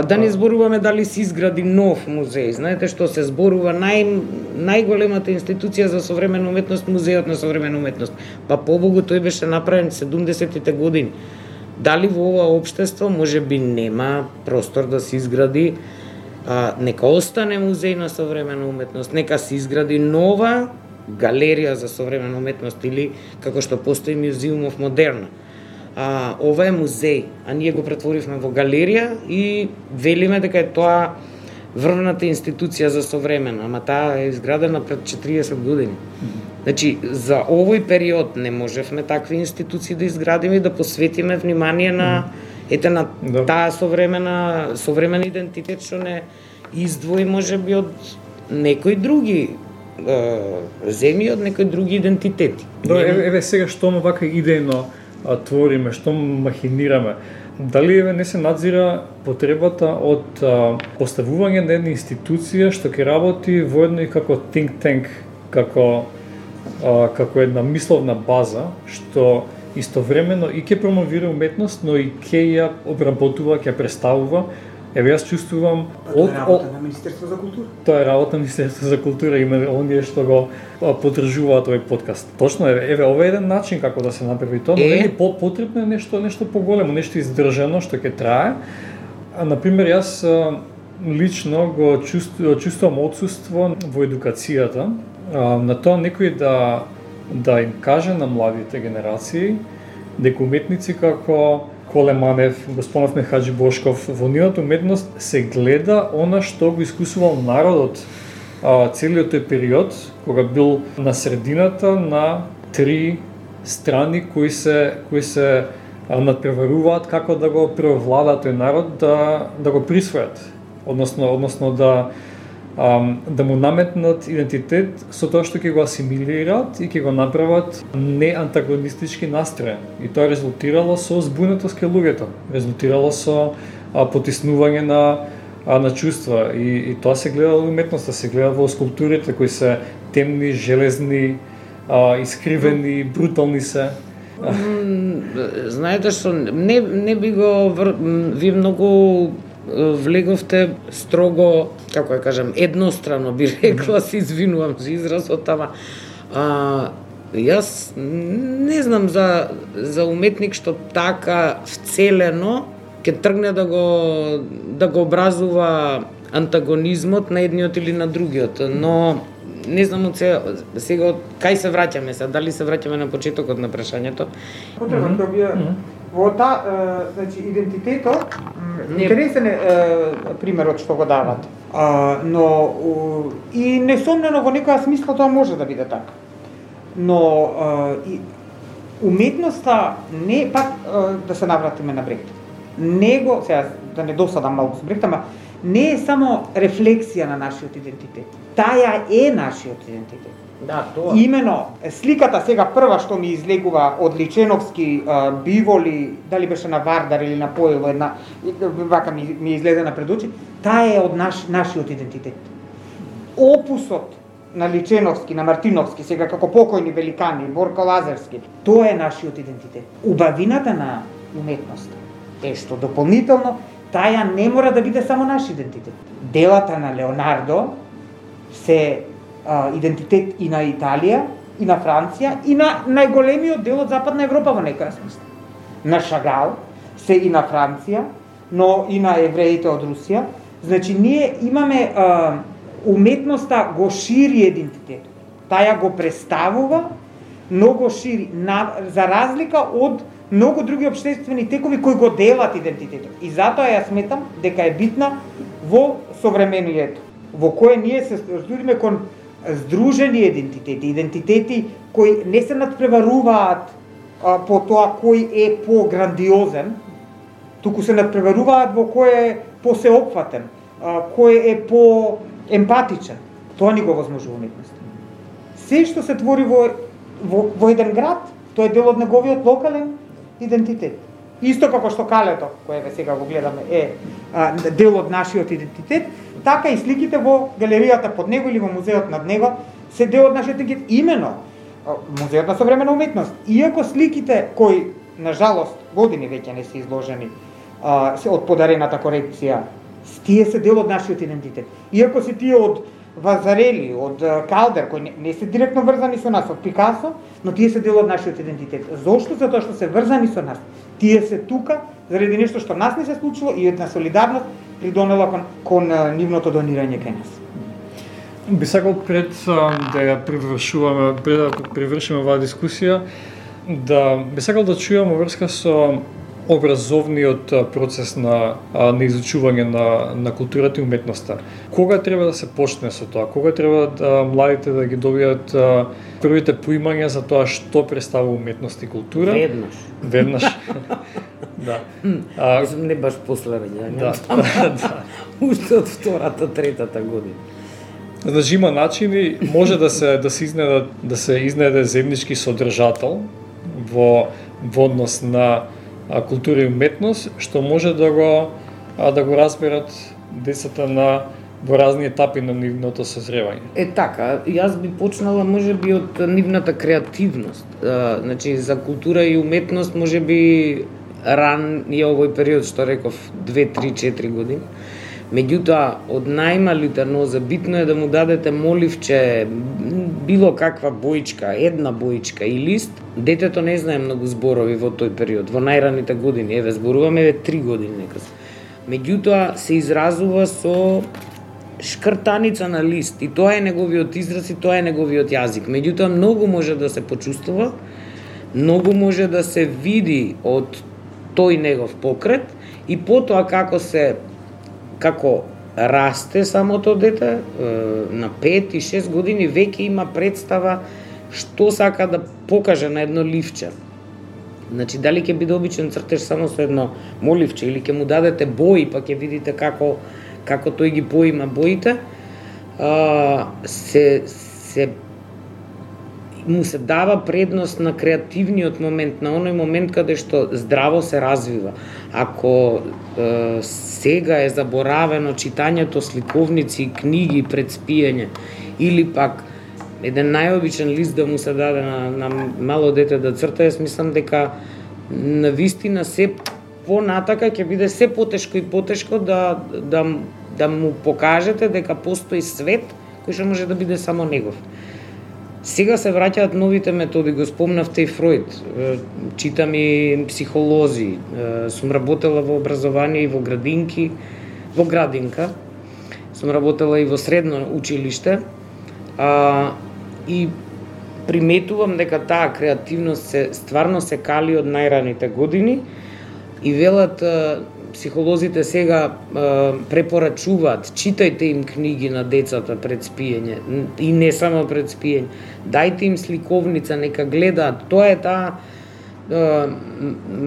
Да не зборуваме дали се изгради нов музеј. Знаете што се зборува најголемата институција за современа уметност, музејот на современа уметност. Па побогу тој беше направен 70-тите години. Дали во ова општество можеби нема простор да се изгради, нека остане музеј на современа уметност, нека се изгради нова галерија за современа уметност или како што постои Museum of Moderna. Ова е музеј, а ние го претворивме во галерија и велиме дека е тоа врвната институција за современа, ама таа е изградена пред 40 години. Значи, за овој период не можевме такви институции да изградиме и да посветиме внимание на таа современ идентитет што не издвои можеби од некои други земји, од некои други идентитети. Еве сега што вака идејно твориме, што махинираме. Дали не се надзира потребата од поставување на една институција што ќе работи во едно и како think tank, како една мисловна база, што истовремено и ќе промовира уметност, но и ќе ја обработува, ќе ја представува. Еве јас чувствувам Тоа е работа на Министерство за култура. Тоа е работа на Министерство за култура, има оние што го поддржуваат овој подкаст. Точно еве ова е еден начин како да се направи тоа, но нели потребно е нешто поголемо, нешто издржано што ќе трае. Например, јас лично го чувствувам отсуство во едукацијата, на тоа некој да им каже на младите генерации дека уметници како Коле Манев, Госпонов Мехаджи Бошков, во нивната уметност се гледа она што го искусувал народот целиот тој период, кога бил на средината на три страни кои се надпреваруваат како да го преовладаат тој народ да го присвојат, односно да му наметнат идентитет со тоа што ќе го асимилираат и ќе го направат неантагонистички настроен. И тоа резултирало со збунетост кај луѓето, резултирало со потиснување на чувства и тоа се гледа во уметноста, се гледа во скулптурите кои се темни, железни, искривени, брутални се. Знаете што, не би го ви многу влеговте строго, како ја кажам, еднострано би рекла, се извинувам за изразот, ама јас не знам за уметник што така вцелено ќе тргне да го образува антагонизмот на едниот или на другиот, но не знам од сега кај се враќаме сега, дали се враќаме на почетокот на прашањето. Потребно да би во значи идентитетот интересен е примерот што го дават. Но и несомнено во некоја смисла тоа може да биде така. Но и уметноста не пак да се навратиме на Брехт. Него сега да не досадам малку со Брехт, ама не е само рефлексија на нашиот идентитет. Таја е нашиот идентитет. Да, тоа. Имено, сликата сега прва што ми излегува од Личеновски биволи, дали беше на Вардар или на Поело, една вака ми излезена пред очи, таа е од нашиот идентитет. Опусот на Личеновски, на Мартиновски, сега како покојни великани, Борко Лазарски, тоа е нашиот идентитет. Убавината на уметност е што дополнително таја не мора да биде само наш идентитет. Делата на Леонардо се идентитет и на Италија, и на Франција, и на најголемиот дел од Западна Европа во некоја смисла. На Шагал се и на Франција, но и на евреите од Русија. Значи, ние имаме уметноста го шири идентитетот. Таја го представува, но го шири, за разлика од многу други општествени текови кои го делат идентитетот. И затоа ја сметам дека е битна во современието, во кое ние се студиме кон здружени идентитети кои не се надпреваруваат по тоа кој е по-грандиозен, туку се надпреваруваат во кој е по-сеопфатен, кој е по-емпатичен. Тоа ни го возможува уметноста. Се што се твори во еден град, тоа е дел од неговиот локален идентитет. Исто како што калето, кое сега го гледаме, е дел од нашиот идентитет, така и сликите во галеријата под него или во музеот над него се дел од нашиот идентитет. Имено, музеот на современа уметност, иако сликите кои, на жалост, години веќе не се изложени од подарената корекција. Тие се дел од нашиот идентитет. Иако си тие од Вазарели, од Калдер, кои не се директно врзани со нас, од Пикасо, но тие се дел од нашиот идентитет. Зошто? Затоа што се врзани со нас. Тие се тука заради нешто што нас не се случило и една солидарност придонела кон нивното донирање кај нас. Би сакал пред да ја привршиме оваа дискусија, би сакал да чујам врска со образовниот процес на изучување на културата и уметноста. Кога треба да се почне со тоа? Кога треба младите да ги добијат првите поимања за тоа што представува уметност и култура? Веднаш. Да. Не баш после раѓањето. Да. Уште од втората, третата година. Значи има начини, може да се изнеде заеднички содржател во однос на култура и уметност, што може да го разберат децата во разни етапи на нивното созревање. Така, јас би почнала можеби од нивната креативност. Значи за култура и уметност можеби ран е овој период што реков 2, 3, 4 години. Меѓутоа, од најмалите ноза битно е да му дадете моливче, било каква боичка, една боичка и лист. Детето не знае многу зборови во тој период, во најраните години. Зборуваме 3 години неказ. Меѓутоа, се изразува со шкртаница на лист и тоа е неговиот израз и тоа е неговиот јазик. Меѓутоа, многу може да се почувствува, многу може да се види од тој негов покрет и потоа како расте самото дете, на 5 и 6 години веќе има представа што сака да покаже на едно ливче. Значи, дали ќе биде обичен цртеж само со едно моливче или ќе му дадете бои, па ќе видите како тој ги поима боите, му се дава предност на креативниот момент, на оној момент каде што здраво се развива. Ако сега е заборавено читањето сликовници и книги пред спиење, или пак еден најобичен лист да му се даде на мало дете да црта, јас мислам дека навистина се понатака ќе биде се потешко и потешко да му покажете дека постои свет кој што може да биде само негов. Сега се враќаат новите методи, го спомнавте и Фројд, читам и психолози, сум работела во образование и во градинка, сум работела и во средно училиште, и приметувам дека таа креативност стварно се кали од најраните години и велат психолозите сега препорачуваат, читајте им книги на децата пред спиење и не само пред спиење. Дајте им сликовница, нека гледаат. Тоа е таа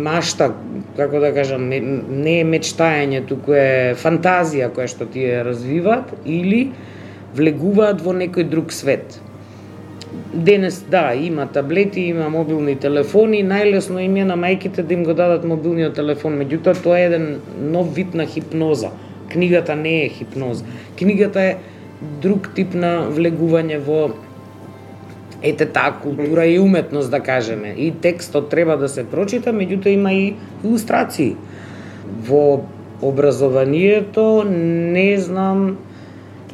машта, како да кажам, не е мечтање, туку е фантазија која што тие развиваат или влегуваат во некој друг свет. Денес, да, има таблети, има мобилни телефони, најлесно им е на мајките да им го дадат мобилниот телефон, меѓутоа тоа е еден нов вид на хипноза. Книгата не е хипноза. Книгата е друг тип на влегување во таа култура и уметност, да кажеме. И текстот треба да се прочита, меѓутоа има и илустрации. Во образованието не знам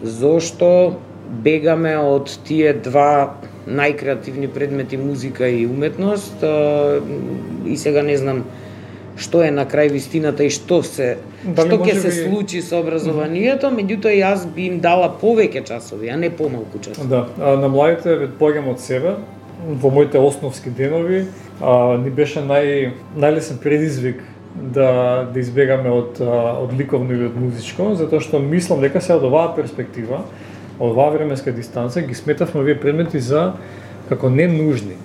зошто бегаме од тие два најкреативни предмети, музика и уметност, и сега не знам што е на крај вистината и што ќе се случи со образованието, меѓутоа јас би им дала повеќе часови, а не помалку часови. Да, на младите поаѓам од себе, во моите основски денови, ни беше најлесен предизвик да избегаме од ликовно или од музичко, затоа што мислам дека се од оваа перспектива, од оваа временска дистанца, ги сметавме овие предмети за како ненужни.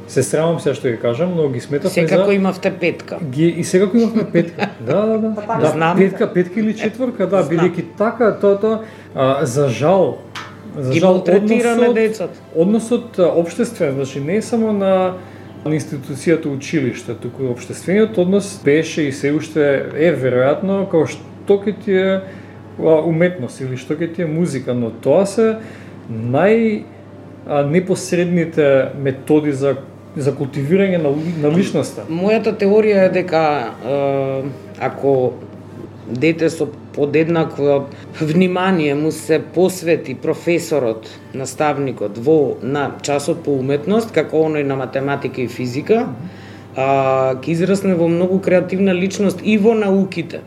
Се срамам се што ги кажам, но ги сметавме секако имавте петка. И секако имавме петка. Да, знам. Петка или четворка, да, бидејќи така тоа за жал ги малтретираме децата. Односот општествен, значи не само на институцијата училиште, туку општествениот однос беше и се уште е веројатно како што ќе ти е уметност или што ќе ти е музика, но тоа се непосредните методи за за култивирање на личноста. Мојата теорија е дека ако дете со подеднакво внимание му се посвети професорот, наставникот на часот по уметност, како оној на математика и физика, ќе израсне во многу креативна личност и во науките.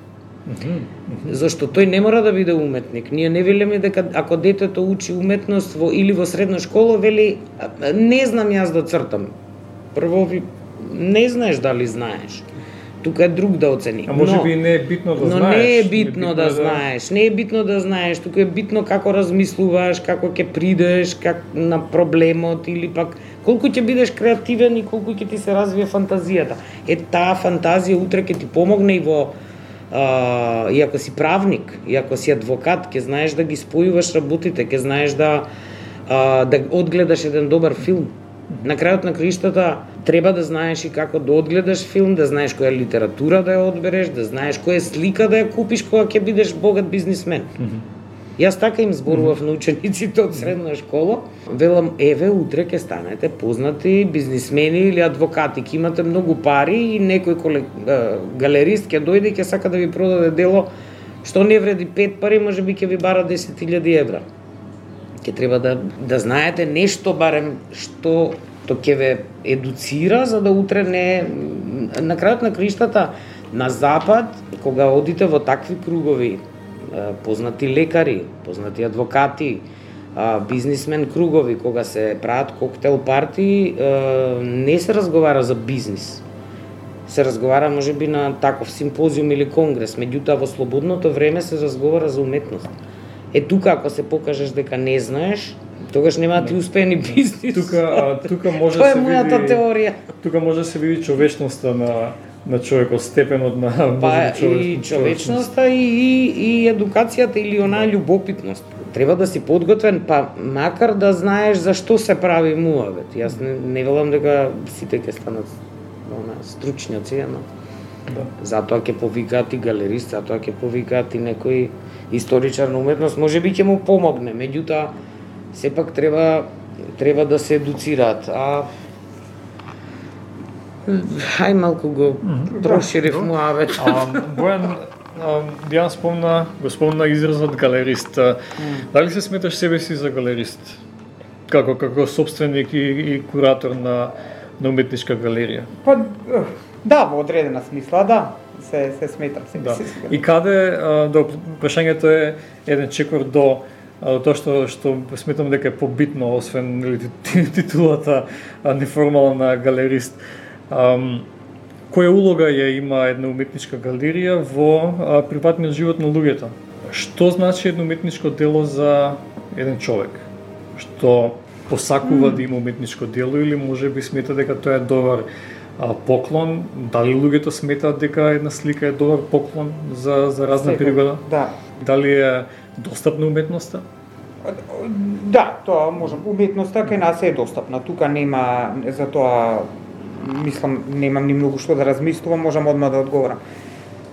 Зашто тој не мора да биде уметник. Ние не велиме дека ако детето учи уметност или во средна школа, вели не знам јас да цртам. Прво не знаеш дали знаеш. Тука е друг да оцени. А може би не е битно да знаеш. Но не е битно да знаеш. Не е битно да знаеш. Тука е битно како размислуваш, како ќе придеш на проблемот или пак колку ќе бидеш креативен и колку ќе ти се развие фантазијата. Таа фантазија утре ќе ти помогне и во и ако си правник, и ако си адвокат, ќе знаеш да ги спојуваш работите, ќе знаеш да одгледаш еден добар филм. На крајот на краиштата треба да знаеш и како да одгледаш филм, да знаеш која литература да ја одбереш, да знаеш која слика да ја купиш кога ќе бидеш богат бизнисмен. Јас така им зборував на учениците од средна школа. Велам, еве, утре ќе станете познати бизнисмени или адвокати, ќе имате многу пари и некој галерист ќе дојде и ќе сака да ви продаде дело што не вреди 5 пари, може би ќе ви бара 10.000 евра. Ќе треба да знаете нешто барем што ќе ве едуцира, за да утре не... На крајот на краиштата, на запад, кога одите во такви кругови, познати лекари, познати адвокати, бизнисмен кругови, кога се прават коктел парти, не се разговара за бизнис. Се разговара можеби на таков симпозиум или конгрес, меѓутоа во слободното време се разговара за уметност. Тука ако се покажеш дека не знаеш, тогаш нема да ти успее ни бизнис. Тука може Тоа е мојата теорија. Тука може да се види човечноста на човекот, степенот на и човечноста и едукацијата или онаа љубопитност. Треба да си подготвен, па макар да знаеш зашто се прави муавет. Јас не велам дека сите ќе станат стручњаци, но затоа ќе повикаат и галерист, затоа ќе повикаат и некој историчар на уметност, можеби ќе му помогне, меѓутоа сепак треба да се едуцираат. Хај малку го проширив муавет. Бојан, Дијана спомна изразот галерист. Дали се сметаш себе си за галерист? Како собственик и куратор на уметничка галерија? Па, да, во одредена смисла, да. Се сметам себе си. И каде, прашањето е еден чекор до тоа што сметам дека е побитно, освен титулата неформална галерист. Која улога ја има една уметничка галерија во приватниот живот на луѓето? Што значи едно уметничко дело за еден човек? Што посакува да има уметничко дело или можеби смета дека тоа е добар поклон? Дали луѓето сметаат дека една слика е добар поклон за разна пригода? Да. Дали е достапна уметноста? Да, тоа можам. Уметноста кај нас е достапна. Тука нема, затоа мислам, немам ни многу што да размислувам, можам одма да одговорам.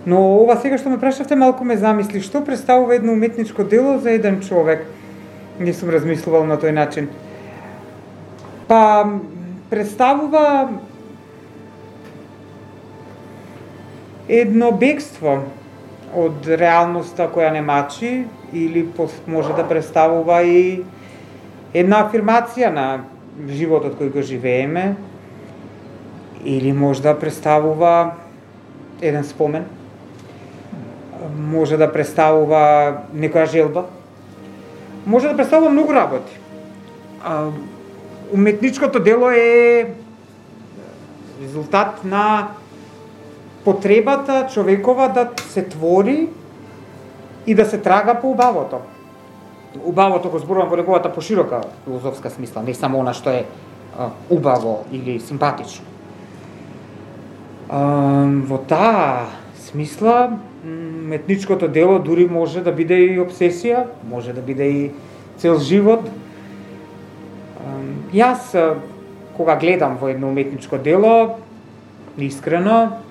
Но ова сега што ме прашавте малку ме замисли, што представува едно уметничко дело за еден човек? Не сум размислувал на тој начин. Па представува едно бегство од реалноста која не мачи, или може да представува и една афирмација на животот кој го живееме, или може да представува еден спомен, може да представува некоја желба, може да представува многу работи. Уметничкото дело е резултат на потребата човекова да се твори и да се трага по убавото. Убавото го зборувам во неговата поширока филозофска смисла, не само она што е убаво или симпатично. Во таа смисла, уметничкото дело дури може да биде и обсесија, може да биде и цел живот. Јас, кога гледам во едно уметничко дело, искрено,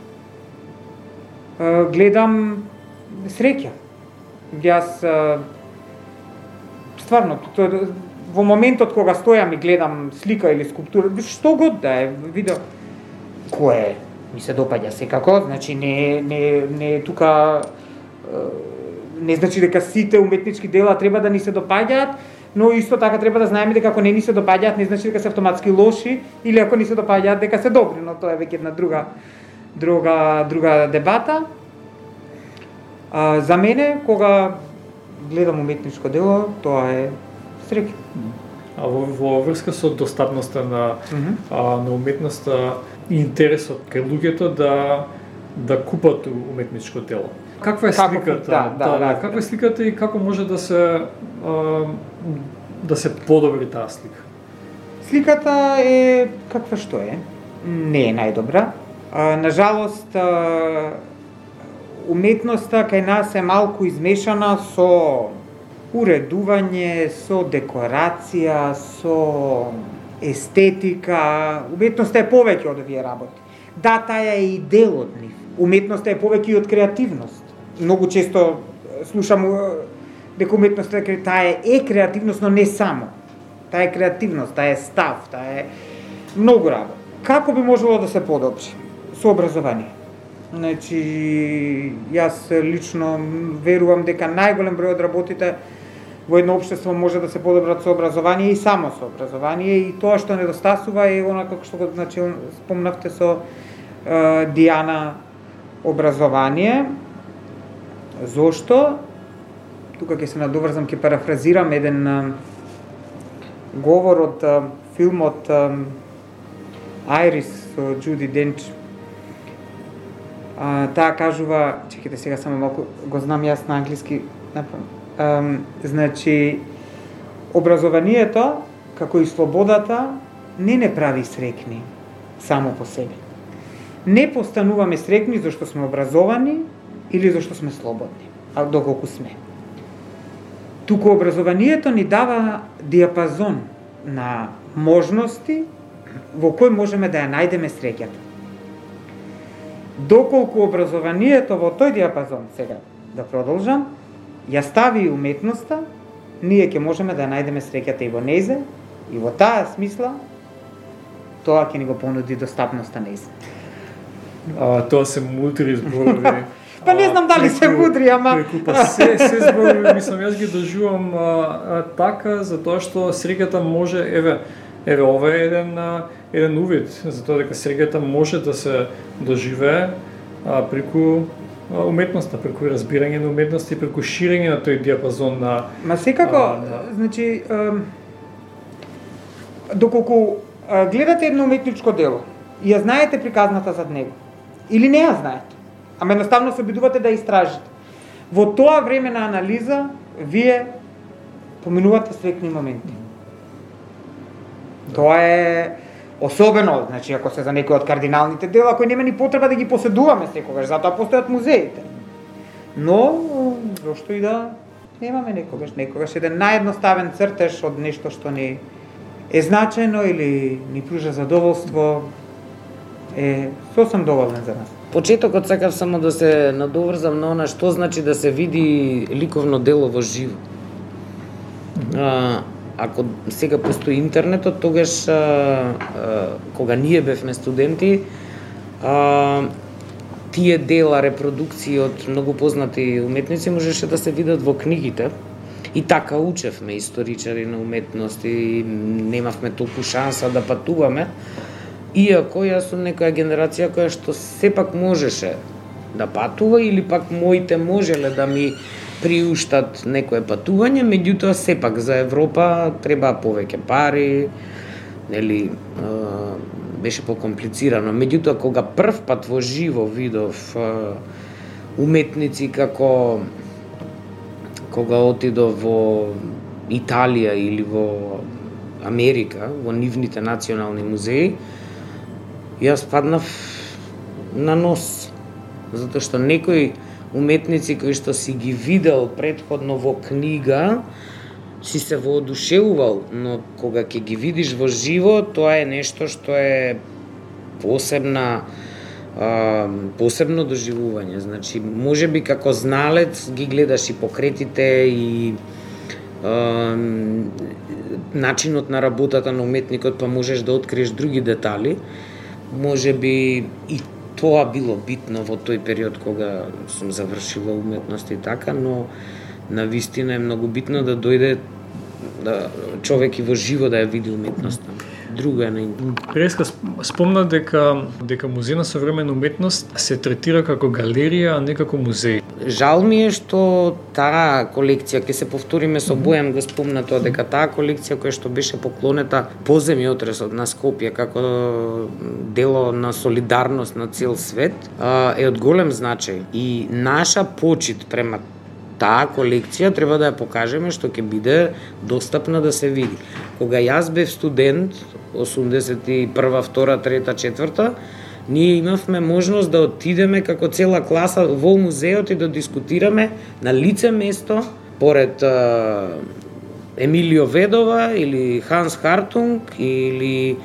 гледам среќа. Јас стварно во моментот кога стојам и гледам слика или скулптура, што год да е, видео, кое ми се допаѓа секако, значи не тука не значи дека сите уметнички дела треба да ни се допаѓаат, но исто така треба да знаеме дека ако не ни се допаѓаат, не значи дека се автоматски лоши, или ако ни се допаѓаат дека се добри, но тоа е веќе една друга дебата. За мене, кога гледам уметничко дело, тоа е среќа. А во врска со достапноста на уметноста и интересот кај луѓето да купат уметничко дело. Каква е сликата? Каква е сликата и како може да се подобри таа слика? Сликата е каква што е. Не е најдобра. Нажалост, уметноста кај нас е малку измешана со уредување, со декорација, со естетика. Уметноста е повеќе од овие работи. Да, таа е и дел од нив. Уметноста е повеќе и од креативност. Многу често слушам дека уметноста таа е креативност, но не само. Таа е креативност, таа е став, таа е многу работа. Како би можело да се подобри? Со образование. Значи, јас лично верувам дека најголем број од работите во едно општество може да се подобрат со образование и само со образование, и тоа што недостасува е онака што го спомнавте со Диана, образование. Зошто? Тука ќе се надоврзам, ќе парафразирам еден говор од филмот Айрис со Џуди Денч. Таа кажува, чекайте сега само малку, го знам јас на англиски, значи, образованието, како и слободата, не прави срекни само по себе. Не постануваме срекни зашто сме образовани или зашто сме слободни, а доколку сме. Туку образованието ни дава диапазон на можности во кој можеме да ја најдеме среќата. Доколку образованието во тој диапазон, сега да продолжам, ја стави уметноста, ние ќе можеме да ја најдеме среќата и во незе, и во таа смисла, тоа ќе ни го понуди достапноста незе. Тоа се мудри зборови. Па не знам дали се мудри, ама... Се зборови, мислам, јас ги доживам така, затоа што среќата може, еве ова е еден увид, затоа дека среќата може да се доживее преку уметноста, преку разбирање на уметноста и преку ширење на тој диапазон на... Ма секако, значи, доколку гледате едно уметничко дело и ја знаете приказната зад него, или не ја знаете, ама едноставно се обидувате да истражите, во тоа време на анализа, вие поминувате срекни моменти. Тоа е особено, значи, ако се за некои од кардиналните дела, кои нема ни потреба да ги поседуваме секогаш, затоа постојат музеите. Но, зошто и да немаме некогаш еден наједноставен цртеж од нешто што ни е значено или ни пружа задоволство, е сосем доволен за нас. Почетокот сакав само да се надоврзам на она што значи да се види ликовно дело во живо. Ако сега постои интернетот, тогаш кога ние бевме студенти, тие дела, репродукции од многу познати уметници можеше да се видат во книгите. И така учевме историчари на уметност и немавме толку шанса да патуваме. Иако јас сум некоја генерација која што сепак можеше да патува или пак моите можеле да ми приуштат некое патување, меѓутоа сепак за Европа треба повеќе пари, нели, беше покомплицирано. Меѓутоа кога прв пат во живо видов уметници како кога отидов во Италија или во Америка, во нивните национални музеи, јас паднав на нос, затоа што некои уметници кои што си ги видел претходно во книга, си се воодушевувал, но кога ќе ги видиш во живо, тоа е нешто што е посебно доживување. Значи, можеби како зналец ги гледаш и покретите и начинот на работата на уметникот, па можеш да откриеш други детали. Може би и тоа било битно во тој период кога сум завршила уметност и така, но навистина е многу битно да дојде човек и во живо да ја види уметноста. Друго е на интернет. Преска спомна дека Музеј на современа уметност се третира како галерија, а не како музеј. Жал ми е што таа колекција, ќе се повториме со Бојан го спомна тоа, дека таа колекција која што беше поклонета по земјотресот на Скопје како дело на солидарност на цел свет, е од голем значај. И наша почит према таа колекција треба да ја покажеме, што ќе биде достапна да се види. Кога јас бев студент, 81, 2, 3, 4, ние имавме можност да отидеме како цела класа во музеот и да дискутираме на лице место, поред Емилио Ведова или Ханс Хартунг или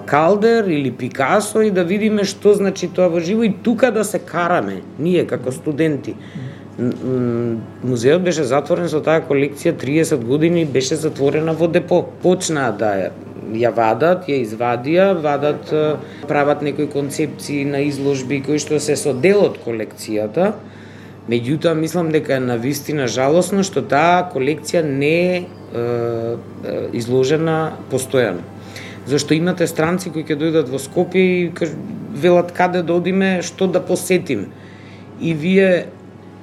Калдер или Пикасо и да видиме што значи тоа во живо и тука да се караме, ние како студенти. Музеот беше затворен со таа колекција 30 години, беше затворена во депо. Почнаа да ја вадат, ја вадат, прават некои концепции на изложби кои што се со дел од колекцијата. Меѓутоа, мислам дека е навистина жалосно што таа колекција не е изложена постојано. Зашто имате странци кои ќе дојдат во Скопје и велат каде да одиме, што да посетиме. И вие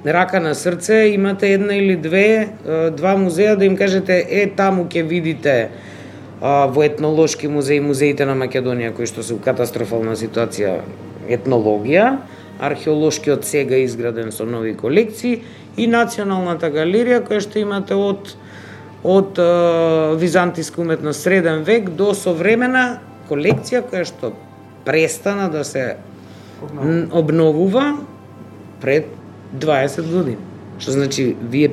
рака на срце, имате една или два музеја да им кажете таму ќе видите во етнолошки музеј, музеите на Македонија кои што се у катастрофална ситуација етнологија, археолошкиот сега изграден со нови колекции и Националната галерија која што имате од византиска уметност среден век до современа колекција која што престана да се обновува пред 20 години. Што значи, вие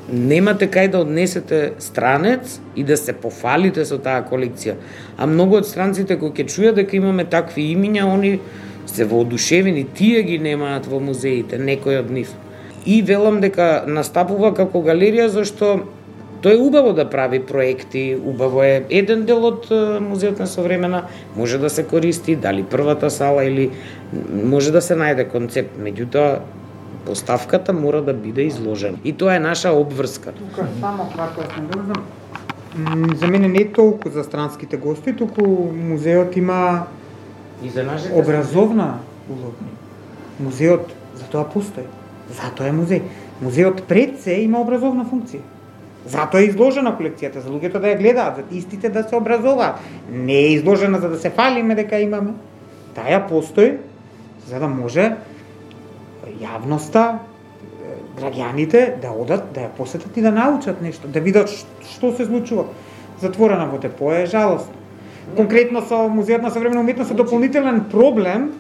немате кај да однесете странец и да се пофалите со таа колекција. А многу од странците кои ќе чујат дека имаме такви имиња, они се воодушевени, тие ги немаат во музеите, некој од нив. И велам дека настапува како галерија, зашто тоа е убаво да прави проекти, убаво е еден дел од Музеот на современа, може да се користи, дали првата сала или може да се најде концепт, меѓутоа поставката мора да биде изложена. И тоа е наша обврска. Тука само кратко да се за мене не толку за странските гости, туку музеот има и за нашите образовна улога. Музеот затоа постои. Затоа е музеј. Музеот пред се има образовна функција. Затоа е изложена колекцијата, за луѓето да ја гледаат, за истите да се образуваат. Не е изложена за да се фалиме дека имаме. Таа постои за да може јавноста, граѓаните да одат, да ја посетат и да научат нешто, да видат што се случува. Затворена во депо е жалост. Конкретно со Музеот на современа уметност е дополнителен проблем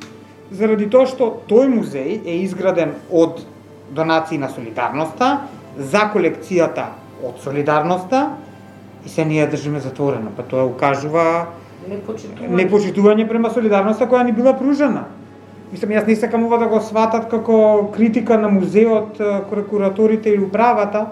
заради тоа што тој музеј е изграден од донации на солидарноста за колекцијата од солидарноста и се ние држиме затворена. Па тоа укажува непочитување према солидарноста која ни била пружена. Мислам, јас не сакам ова да го сватат како критика на музеот, кураторите или управата.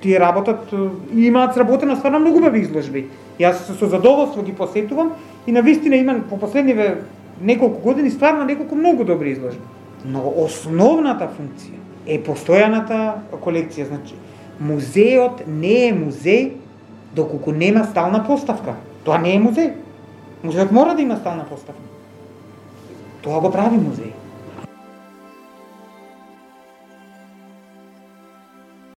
Тие работат и имаат сработено стварно многу убави изложби. Јас со задоволство ги посетувам и навистина има по последниве неколку години стварно неколку многу добри изложби. Но основната функција е постојаната колекција. Значи, музеот не е музеј доколку нема стална поставка. Тоа не е музеј. Музеот мора да има стална поставка. Тоа го прави музеј.